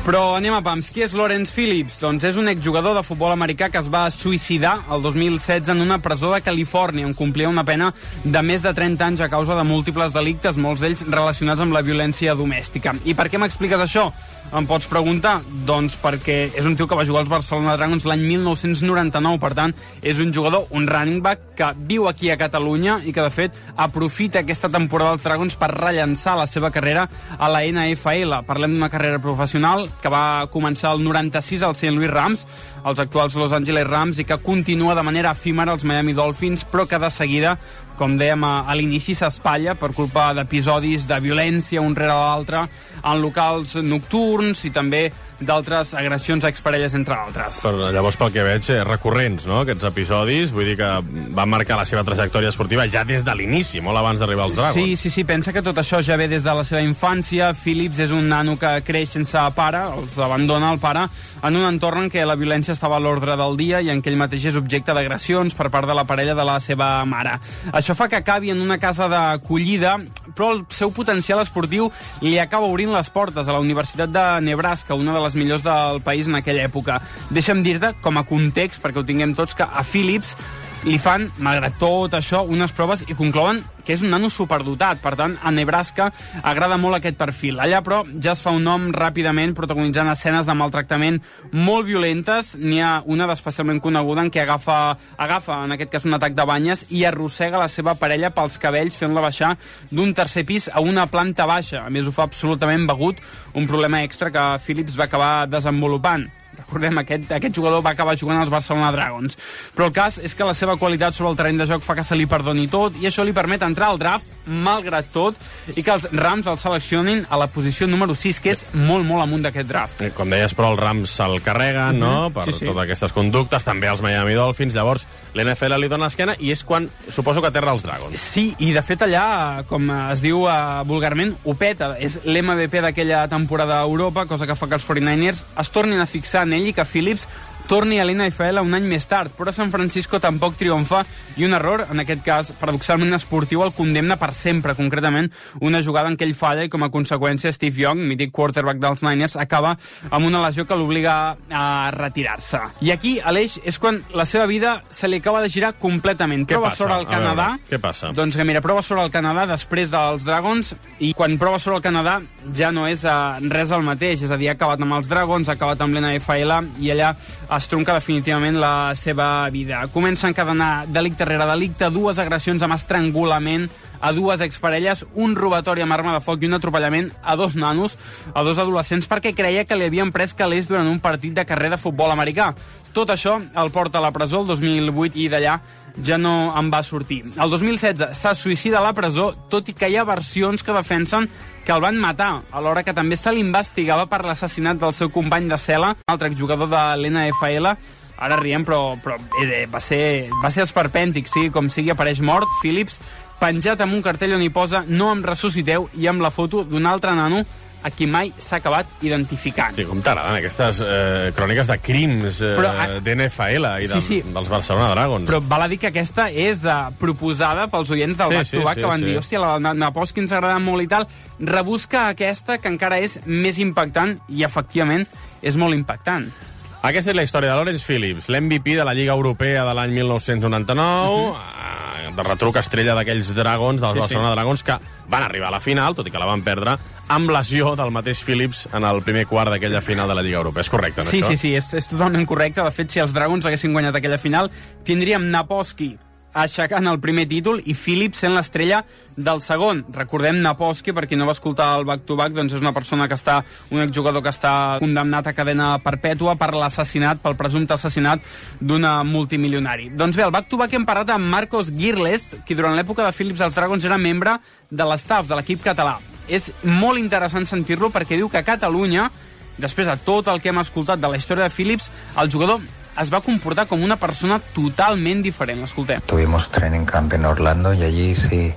Speaker 9: Però anem a pams. Qui és Lawrence Phillips? Doncs és un exjugador de futbol americà que es va suïcidar el 2016 en una presó de Califòrnia, on complia una pena de més de 30 anys a causa de múltiples delictes, molts d'ells relacionats amb la violència domèstica. I per què m'expliques això? Em pots preguntar? Doncs perquè és un tio que va jugar als Barcelona Dragons l'any 1999, per tant, és un jugador, un running back, que viu aquí a Catalunya i que, de fet, aprofita aquesta temporada dels Dragons per rellançar la seva carrera a la NFL. Parlem d'una carrera professional que va començar el 96 al St. Louis Rams, els actuals Los Angeles Rams, i que continua de manera efímera als Miami Dolphins, però que de seguida, com dèiem a l'inici, s'espatlla per culpa d'episodis de violència un rere l'altre en locals nocturns i també d'altres agressions a exparelles, entre altres.
Speaker 3: Però llavors, pel que veig, recurrents, no?, aquests episodis. Vull dir que van marcar la seva trajectòria esportiva ja des de l'inici, molt abans d'arribar als Dragons.
Speaker 9: Sí, pensa que tot això ja ve des de la seva infància. Phillips és un nano que creix sense pare, els abandona el pare, en un entorn en què la violència estava a l'ordre del dia i en què ell mateix és objecte d'agressions per part de la parella de la seva mare. Això fa que acabi en una casa d'acollida, però el seu potencial esportiu li acaba obrint les portes a la Universitat de Nebraska, una de les millors del país en aquella època. Deixa'm dir-te, com a context, perquè ho tinguem tots, que a Phillips li fan, malgrat tot això, unes proves i conclouen que és un nano superdotat. Per tant, a Nebraska agrada molt aquest perfil. Allà, però, ja es fa un nom ràpidament protagonitzant escenes de maltractament molt violentes. N'hi ha una d'especialment coneguda en què agafa, en aquest cas, un atac de banyes i arrossega la seva parella pels cabells fent-la baixar d'un tercer pis a una planta baixa. A més, ho fa absolutament begut, un problema extra que Phillips va acabar desenvolupant. Recordem, aquest jugador va acabar jugant als Barcelona Dragons. Però el cas és que la seva qualitat sobre el terreny de joc fa que se li perdoni tot i això li permet entrar al draft, malgrat tot, i que els Rams el seleccionin a la posició número 6, que és molt, molt amunt d'aquest draft.
Speaker 3: Com deies, però els Rams se'l carreguen, no?, per totes aquestes conductes, també els Miami Dolphins, llavors l'NFL li dona l'esquena i és quan suposo que aterra els Dragons.
Speaker 9: Sí, i de fet allà, com es diu vulgarment, ho peta. És l'MVP d'aquella temporada a Europa, cosa que fa que els 49ers es tornin a fixar en ell i que Phillips torni a l'NFL un any més tard, però San Francisco tampoc triomfa i un error, en aquest cas paradoxalment esportiu, el condemna per sempre, concretament una jugada en què ell falla i com a conseqüència Steve Young, mític quarterback dels Niners, acaba amb una lesió que l'obliga a retirar-se. I aquí, Aleix, és quan la seva vida se li acaba de girar completament.
Speaker 3: Què
Speaker 9: prova
Speaker 3: passa?
Speaker 9: sobre el Canadà.
Speaker 3: Què passa?
Speaker 9: Doncs que mira, prova sobre el Canadà després dels Dragons i quan prova sobre el Canadà ja no és res el mateix, és a dir, ha acabat amb els Dragons, ha acabat amb l'NFL i allà es tronca definitivament la seva vida. Comença a encadenar delicte rere delicte, 2 agressions amb estrangulament a 2 exparelles, un robatori amb arma de foc i un atropellament a 2 nanos, a 2 adolescents, perquè creia que li havien pres calés durant un partit de carrer de futbol americà. Tot això el porta a la presó el 2008 i d'allà ja no en va sortir. El 2016 se suïcida a la presó, tot i que hi ha versions que defensen que el van matar, alhora que també se l'investigava per l'assassinat del seu company de cel·la, un altre exjugador de l'NFL. Ara riem, però va ser esperpèntic, sí, com sigui, apareix mort, Phillips, penjat amb un cartell on hi posa "No em ressusciteu" i amb la foto d'un altre nano a qui mai s'ha acabat identificant.
Speaker 3: Sí, com t'agraden aquestes cròniques de crims d'NFL i dels Barcelona Dragons.
Speaker 9: Però val a dir que aquesta és proposada pels oients del Back to Back, que van dir, hòstia, la Naposki ens agrada molt i tal, rebusca aquesta, que encara és més impactant, i efectivament és molt impactant.
Speaker 3: Aquesta és la història de Lawrence Phillips, l'MVP de la Lliga Europea de l'any 1999, de retruc estrella d'aquells Dragons, dels Barcelona Dragons, que van arribar a la final, tot i que la van perdre, amb lesió del mateix Phillips en el primer quart d'aquella final de la Lliga Europea. És correcte, no, això?
Speaker 9: Sí, és totalment correcte. De fet, si els Dragons haguessin guanyat aquella final, tindríem Naposki aixecant el primer títol i Phillips sent l'estrella del segon. Recordem, Naposki, per qui no va escoltar el back-to-back, doncs és una persona que està, un exjugador que està condemnat a cadena perpètua per l'assassinat, pel presumpte assassinat d'un multimilionari. Doncs bé, al back-to-back hem parlat amb Marcos Girles, qui durant l'època de Phillips als Dragons era membre de l'estaf de l'equip català. És molt interessant sentir-lo perquè diu que a Catalunya, després de tot el que hem escoltat de la història de Phillips, el jugador es va comportar com una persona totalment diferent. L'escoltem.
Speaker 1: Tuvimos training camp en Orlando y allí sí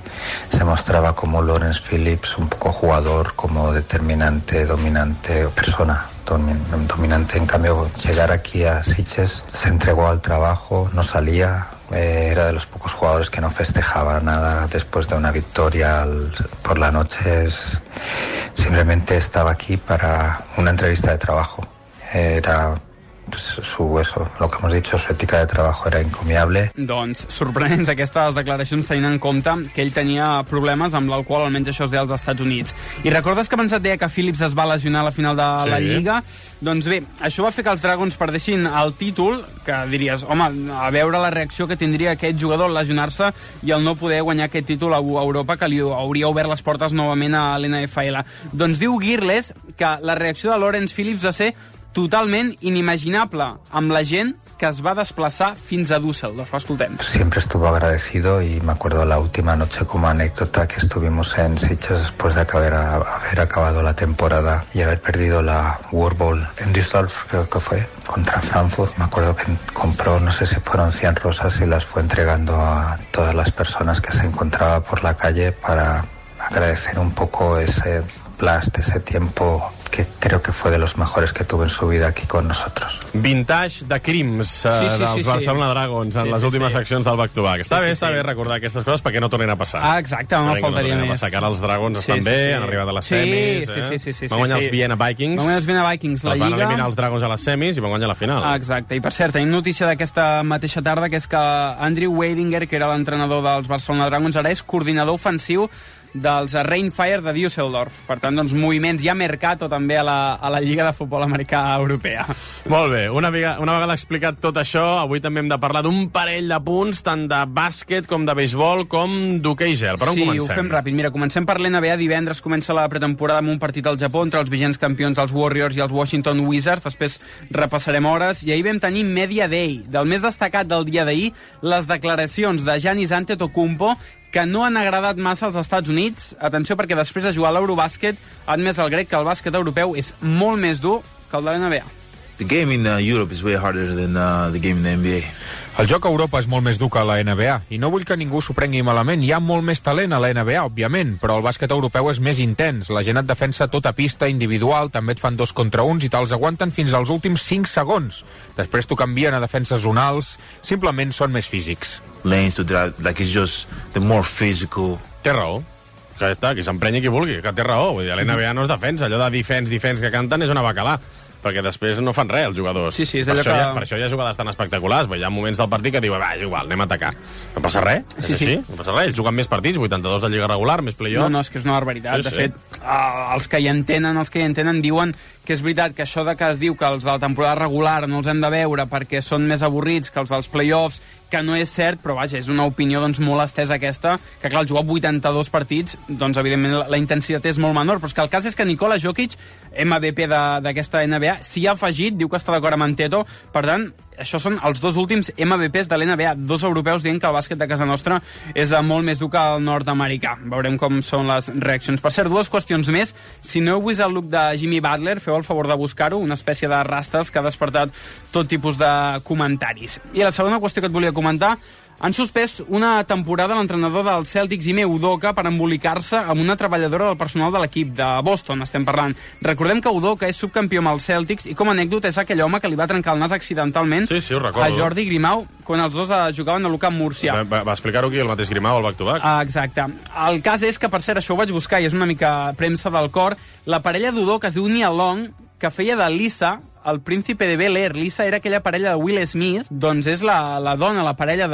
Speaker 1: se mostraba como Lawrence Phillips, un poco jugador, como determinante, dominante, persona dominante. En cambio, llegar aquí a Sitges, se entregó al trabajo, no salía, era de los pocos jugadores que no festejaba nada después de una victoria por la noche. Simplemente estaba aquí para una entrevista de trabajo. Era lo que hemos dicho, su ética de trabajo era encomiable.
Speaker 9: Doncs sorprenents aquestes declaracions tenint en compte que ell tenia problemes amb l'alcohol, almenys això es deia als Estats Units. I recordes que abans et deia que Phillips es va lesionar a la final de la Lliga? Doncs bé, això va fer que els Dragons perdessin el títol, que diries, home, a veure la reacció que tindria aquest jugador al lesionar-se i el no poder guanyar aquest títol a Europa, que li hauria obert les portes novament a l'NFL. Doncs diu Girles que la reacció de Lawrence Phillips va ser totalment inimaginable amb la gent que es va desplaçar fins a Düsseldorf. Escoltem.
Speaker 1: Siempre estuvo agradecido y me acuerdo la última noche como anécdota que estuvimos en Sitges después de haber acabado la temporada y haber perdido la World Bowl en Düsseldorf, creo que fue, contra Frankfurt. Me acuerdo que compró, no sé si fueron 100 rosas y las fue entregando a todas las personas que se encontraba por la calle para agradecer un poco ese blast, ese tiempo que creo que fue de los mejores que tuvo en su vida aquí con nosotros.
Speaker 3: Vintage de crims dels Barcelona Dragons en les últimes seccions del back-to-back. Està bé recordar aquestes coses perquè no tornin a passar.
Speaker 9: Exacte, no faltaria més.
Speaker 3: Que ara els Dragons estan bé, han arribat a les semis. Van guanyar els Vienna Vikings.
Speaker 9: Van guanyar els Vienna Vikings, la Lliga.
Speaker 3: Van eliminar els Dragons a les semis i van guanyar la final.
Speaker 9: Exacte, i per cert, tenim notícia d'aquesta mateixa tarda, que és que Andrew Weidinger, que era l'entrenador dels Barcelona Dragons, ara és coordinador ofensiu dels Rheinfire de Düsseldorf. Per tant, doncs, moviments, hi ha mercato també a la Lliga de Futbol Americà Europea.
Speaker 3: Molt bé, una vegada explicat tot això, avui també hem de parlar d'un parell de punts, tant de bàsquet com de beisbol com d'hoquei gel. Per on comencem?
Speaker 9: Sí, ho fem ràpid. Mira, comencem per l'NBA. Divendres comença la pretemporada amb un partit al Japó entre els vigents campions dels Warriors i els Washington Wizards. Després repassarem hores. I ahir vam tenir Media Day. Del més destacat del dia d'ahir, les declaracions de Giannis Antetokounmpo, que no han agradat massa als Estats Units. Atenció, perquè després de jugar a l'Eurobàsquet ha admès el grec que el bàsquet europeu és molt més dur que el de l'NBA.
Speaker 5: The game in Europe is way harder than the game in the NBA.
Speaker 7: El joc a Europa és molt més dur que a la NBA, i no vull que ningú s'ho prengui malament. Hi ha molt més talent a la NBA, òbviament, però el bàsquet europeu és més intens. La gent et defensa tota pista individual, també et fan 2 contra 1 i te'ls aguanten fins als últims 5 segons. Després t'ho canvien a defenses zonals, simplement són més físics.
Speaker 5: Lanes to drive, like it's just the more physical.
Speaker 3: Té raó. Que està, que s'emprenyi qui vulgui, que té raó. Vull dir, a l'NBA no es defensa, allò de defense que canten és una bacalà, perquè després no fan res els jugadors.
Speaker 9: Sí, és allò
Speaker 3: per això hi ha jugades tan espectaculars, hi ha moments del partit que diuen, va, és igual, anem a atacar. No passa res, és així, no passa res. Ells juguen més partits, 82 de Lliga regular, més play-off.
Speaker 9: No, és que és una barbaritat. De fet, els que hi entenen diuen que és veritat que això de que es diu que els de la temporada regular no els hem de veure perquè són més avorrits que els dels play-offs, que no és cert, però vaja, és una opinió doncs, molt estesa aquesta, que clar, al jugar 82 partits, doncs evidentment la intensitat és molt menor, però és que el cas és que Nikola Jokic, MVP d'aquesta NBA, s'hi ha afegit, diu que està d'acord amb Anteto, per tant, això són els 2 últims MVPs de l'NBA, 2 europeus dient que el bàsquet de casa nostra és molt més dur que el nord-americà. Veurem com són les reaccions. Per cert, 2 qüestions més. Si no heu vist el look de Jimmy Butler, feu el favor de buscar-ho, una espècie de rastes que ha despertat tot tipus de comentaris. I la segona qüestió que et volia comentar, han suspès una temporada l'entrenador dels Celtics, Ime Udoka, per embolicar-se amb una treballadora del personal de l'equip de Boston, estem parlant. Recordem que Udoka és subcampió amb els Celtics i com a anècdota és aquell home que li va trencar el nas accidentalment a Jordi Grimau quan els dos jugaven a l'Ucamp Murcia.
Speaker 3: Va explicar-ho aquí el mateix Grimau al back-to-back.
Speaker 9: Exacte. El cas és que, per cert, això ho vaig buscar i és una mica premsa del cor, la parella d'Udoka es diu Nia Long, que feia de Lisa, el príncipe de Bel-Air. Lisa era aquella parella de Will Smith, doncs és la dona, la parella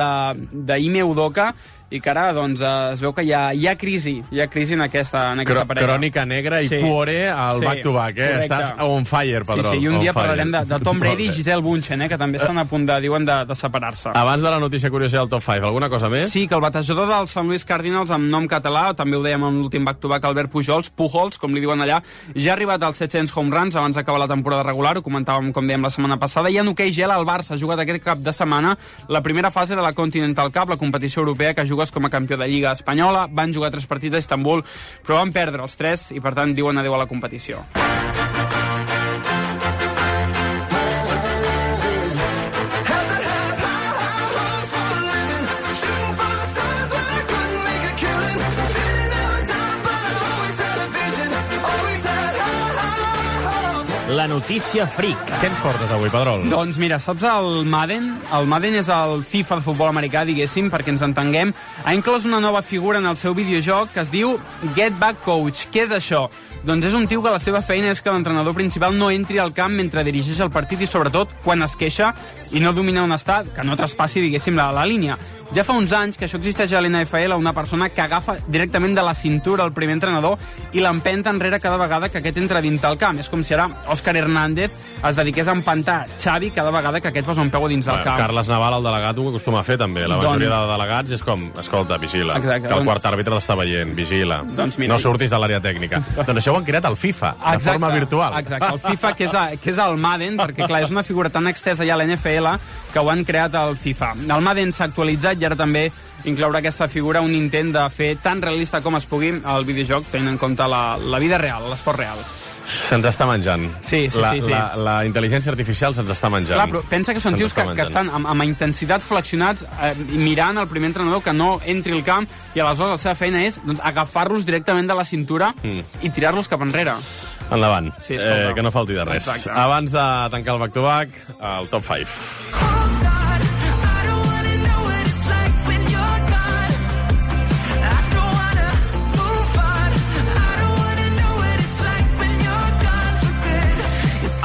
Speaker 9: d'Ime Udoka, i que ara doncs, es veu que hi ha crisi en aquesta parella.
Speaker 3: Crònica negra i cuore al back-to-back, Estàs on fire, Pedrol.
Speaker 9: Sí, i un dia parlarem de Tom Brady i Gisele Bündchen, que també estan a punt de separar-se.
Speaker 3: Abans de la notícia curiosa del top 5, alguna cosa més?
Speaker 9: Sí, que el batejador dels St. Louis Cardinals amb nom català, també ho dèiem amb l'últim back-to-back, Albert Pujols, com li diuen allà, ja ha arribat als 700 home runs abans d'acabar la temporada regular, ho comentàvem, com dèiem, la setmana passada, i en hoquei gel el Barça ha jugat aquest cap de setmana la primera fase de la Continental Cup, la competició europea que jugues com a campió de Lliga Espanyola. Van jugar 3 partits a Istanbul, però van perdre els 3 i, per tant, diuen adéu a la competició.
Speaker 2: La notícia fric.
Speaker 3: Què ens portes avui, Pedrol?
Speaker 9: Doncs mira, saps el Madden? El Madden és el FIFA de futbol americà, diguéssim, perquè ens entenguem. Ha inclòs una nova figura en el seu videojoc que es diu Get Back Coach. Què és això? Doncs és un tio que la seva feina és que l'entrenador principal no entri al camp mentre dirigeix el partit i, sobretot, quan es queixa i no domina on està, que no traspassi, diguéssim, la línia. Ja fa uns anys que això existeix a l'NFL, una persona que agafa directament de la cintura el primer entrenador i l'empenta enrere cada vegada que aquest entra dins del camp. És com si ara Òscar Hernández es dediqués a empentar Xavi cada vegada que aquest posa un peu dins del camp.
Speaker 3: Carles Naval, el delegat, ho acostuma a fer també. La majoria de delegats és com, escolta, vigila,
Speaker 9: exacte,
Speaker 3: que el quart àrbitre l'està veient, vigila, no surtis de l'àrea tècnica. Doncs això ho han creat al FIFA, de forma virtual.
Speaker 9: Exacte, el FIFA, que és el Madden, perquè clar, és una figura tan extensa ja a l'NFL que ho han creat al FIFA. El Madden s'ha actualitzat i ara també incloure aquesta figura, un intent de fer tan realista com es pugui el videojoc, tenint en compte la vida real, l'esport real.
Speaker 3: Se'ns està menjant.
Speaker 9: Sí.
Speaker 3: La intel·ligència artificial se'ns està menjant.
Speaker 9: Clar, però pensa que són tios que estan amb intensitat flexionats mirant el primer entrenador que no entri al camp i aleshores la seva feina és agafar-los directament de la cintura i tirar-los cap enrere.
Speaker 3: Endavant,
Speaker 9: sí,
Speaker 3: que no falti de res.
Speaker 9: Exacte.
Speaker 3: Abans de tancar el back-to-back, el top 5.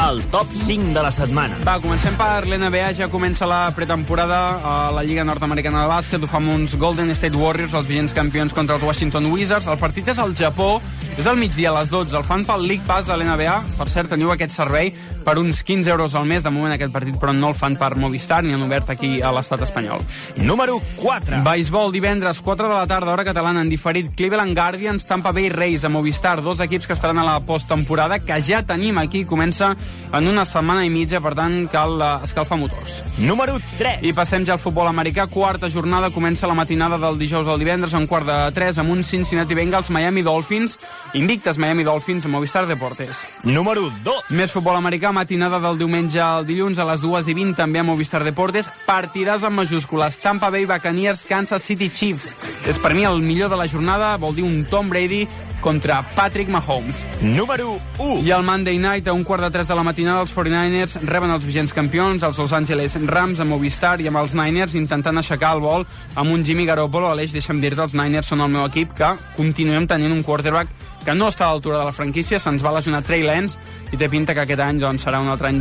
Speaker 10: el top 5 de la setmana.
Speaker 9: Va, comencem per l'NBA, ja comença la pretemporada a la Lliga Nord-Americana de Bàsquet, ho fa amb uns Golden State Warriors, els vigents campions contra els Washington Wizards. El partit és al Japó, és al migdia a les 12, el fan pel League Pass de l'NBA. Per cert, teniu aquest servei per uns 15 euros al mes, de moment aquest partit, però no el fan per Movistar, ni han obert aquí a l'estat espanyol.
Speaker 10: Número 4.
Speaker 9: Beisbol, divendres, 4 de la tarda, hora catalana, en diferit, Cleveland Guardians, Tampa Bay Rays a Movistar, dos equips que estaran a la posttemporada, que ja tenim aquí, comença en una setmana i mitja, per tant cal escalfar motors.
Speaker 10: Número 3.
Speaker 9: I passem ja al futbol americà, quarta jornada, comença la matinada del dijous al divendres, a un quart de 3, amb un Cincinnati Bengals, Miami Dolphins, invictes Miami Dolphins a Movistar Deportes.
Speaker 10: Número 2.
Speaker 9: Més futbol americà, matinada del diumenge al dilluns a les 2:20, també a Movistar Deportes, partidars en majúscules, Tampa Bay Buccaneers, Kansas City Chiefs. És per mi el millor de la jornada, vol dir un Tom Brady contra Patrick Mahomes.
Speaker 10: Número 1.
Speaker 9: I el Monday Night, a un quart de 3 de la matinada, els 49ers reben els vigents campions, els Los Angeles Rams a Movistar, i amb els Niners intentant aixecar el vol amb un Jimmy Garoppolo. Aleix, deixa'm dir-te, els Niners són el meu equip, que continuem tenint un quarterback que no està a l'altura de la franquícia, se'ns va lesionar Trey Lance, i té pinta que aquest any doncs, serà un altre any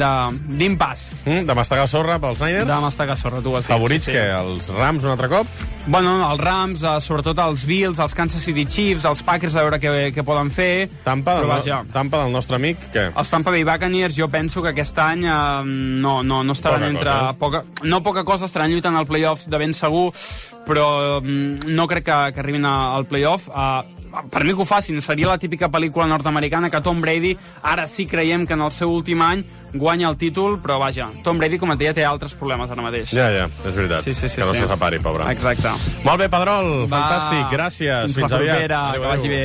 Speaker 9: d'impàs.
Speaker 3: De mastegar sorra pels Niners?
Speaker 9: De mastegar sorra, tu ho has dit.
Speaker 3: Favorits,
Speaker 9: sí.
Speaker 3: Que els Rams un altre cop?
Speaker 9: Bueno, els Rams, sobretot els Bills, els Kansas City Chiefs, els Packers, a veure què poden fer.
Speaker 3: Tampa del nostre amic, què?
Speaker 9: Els Tampa Bay Buccaneers, jo penso que aquest any no estaran poca cosa, estaran lluitant al playoffs de ben segur, però no crec que arribin al playoff. Per mi que ho facin, seria la típica pel·lícula nord-americana que Tom Brady, ara sí creiem que en el seu últim any guanya el títol, però vaja, Tom Brady, com et deia, té altres problemes ara mateix.
Speaker 3: Ja, és veritat.
Speaker 9: Sí,
Speaker 3: que no se separi, pobre.
Speaker 9: Exacte.
Speaker 3: Molt bé, Pedrol, fantàstic, gràcies.
Speaker 9: Fins aviat.
Speaker 3: Adéu,
Speaker 9: que vagi bé.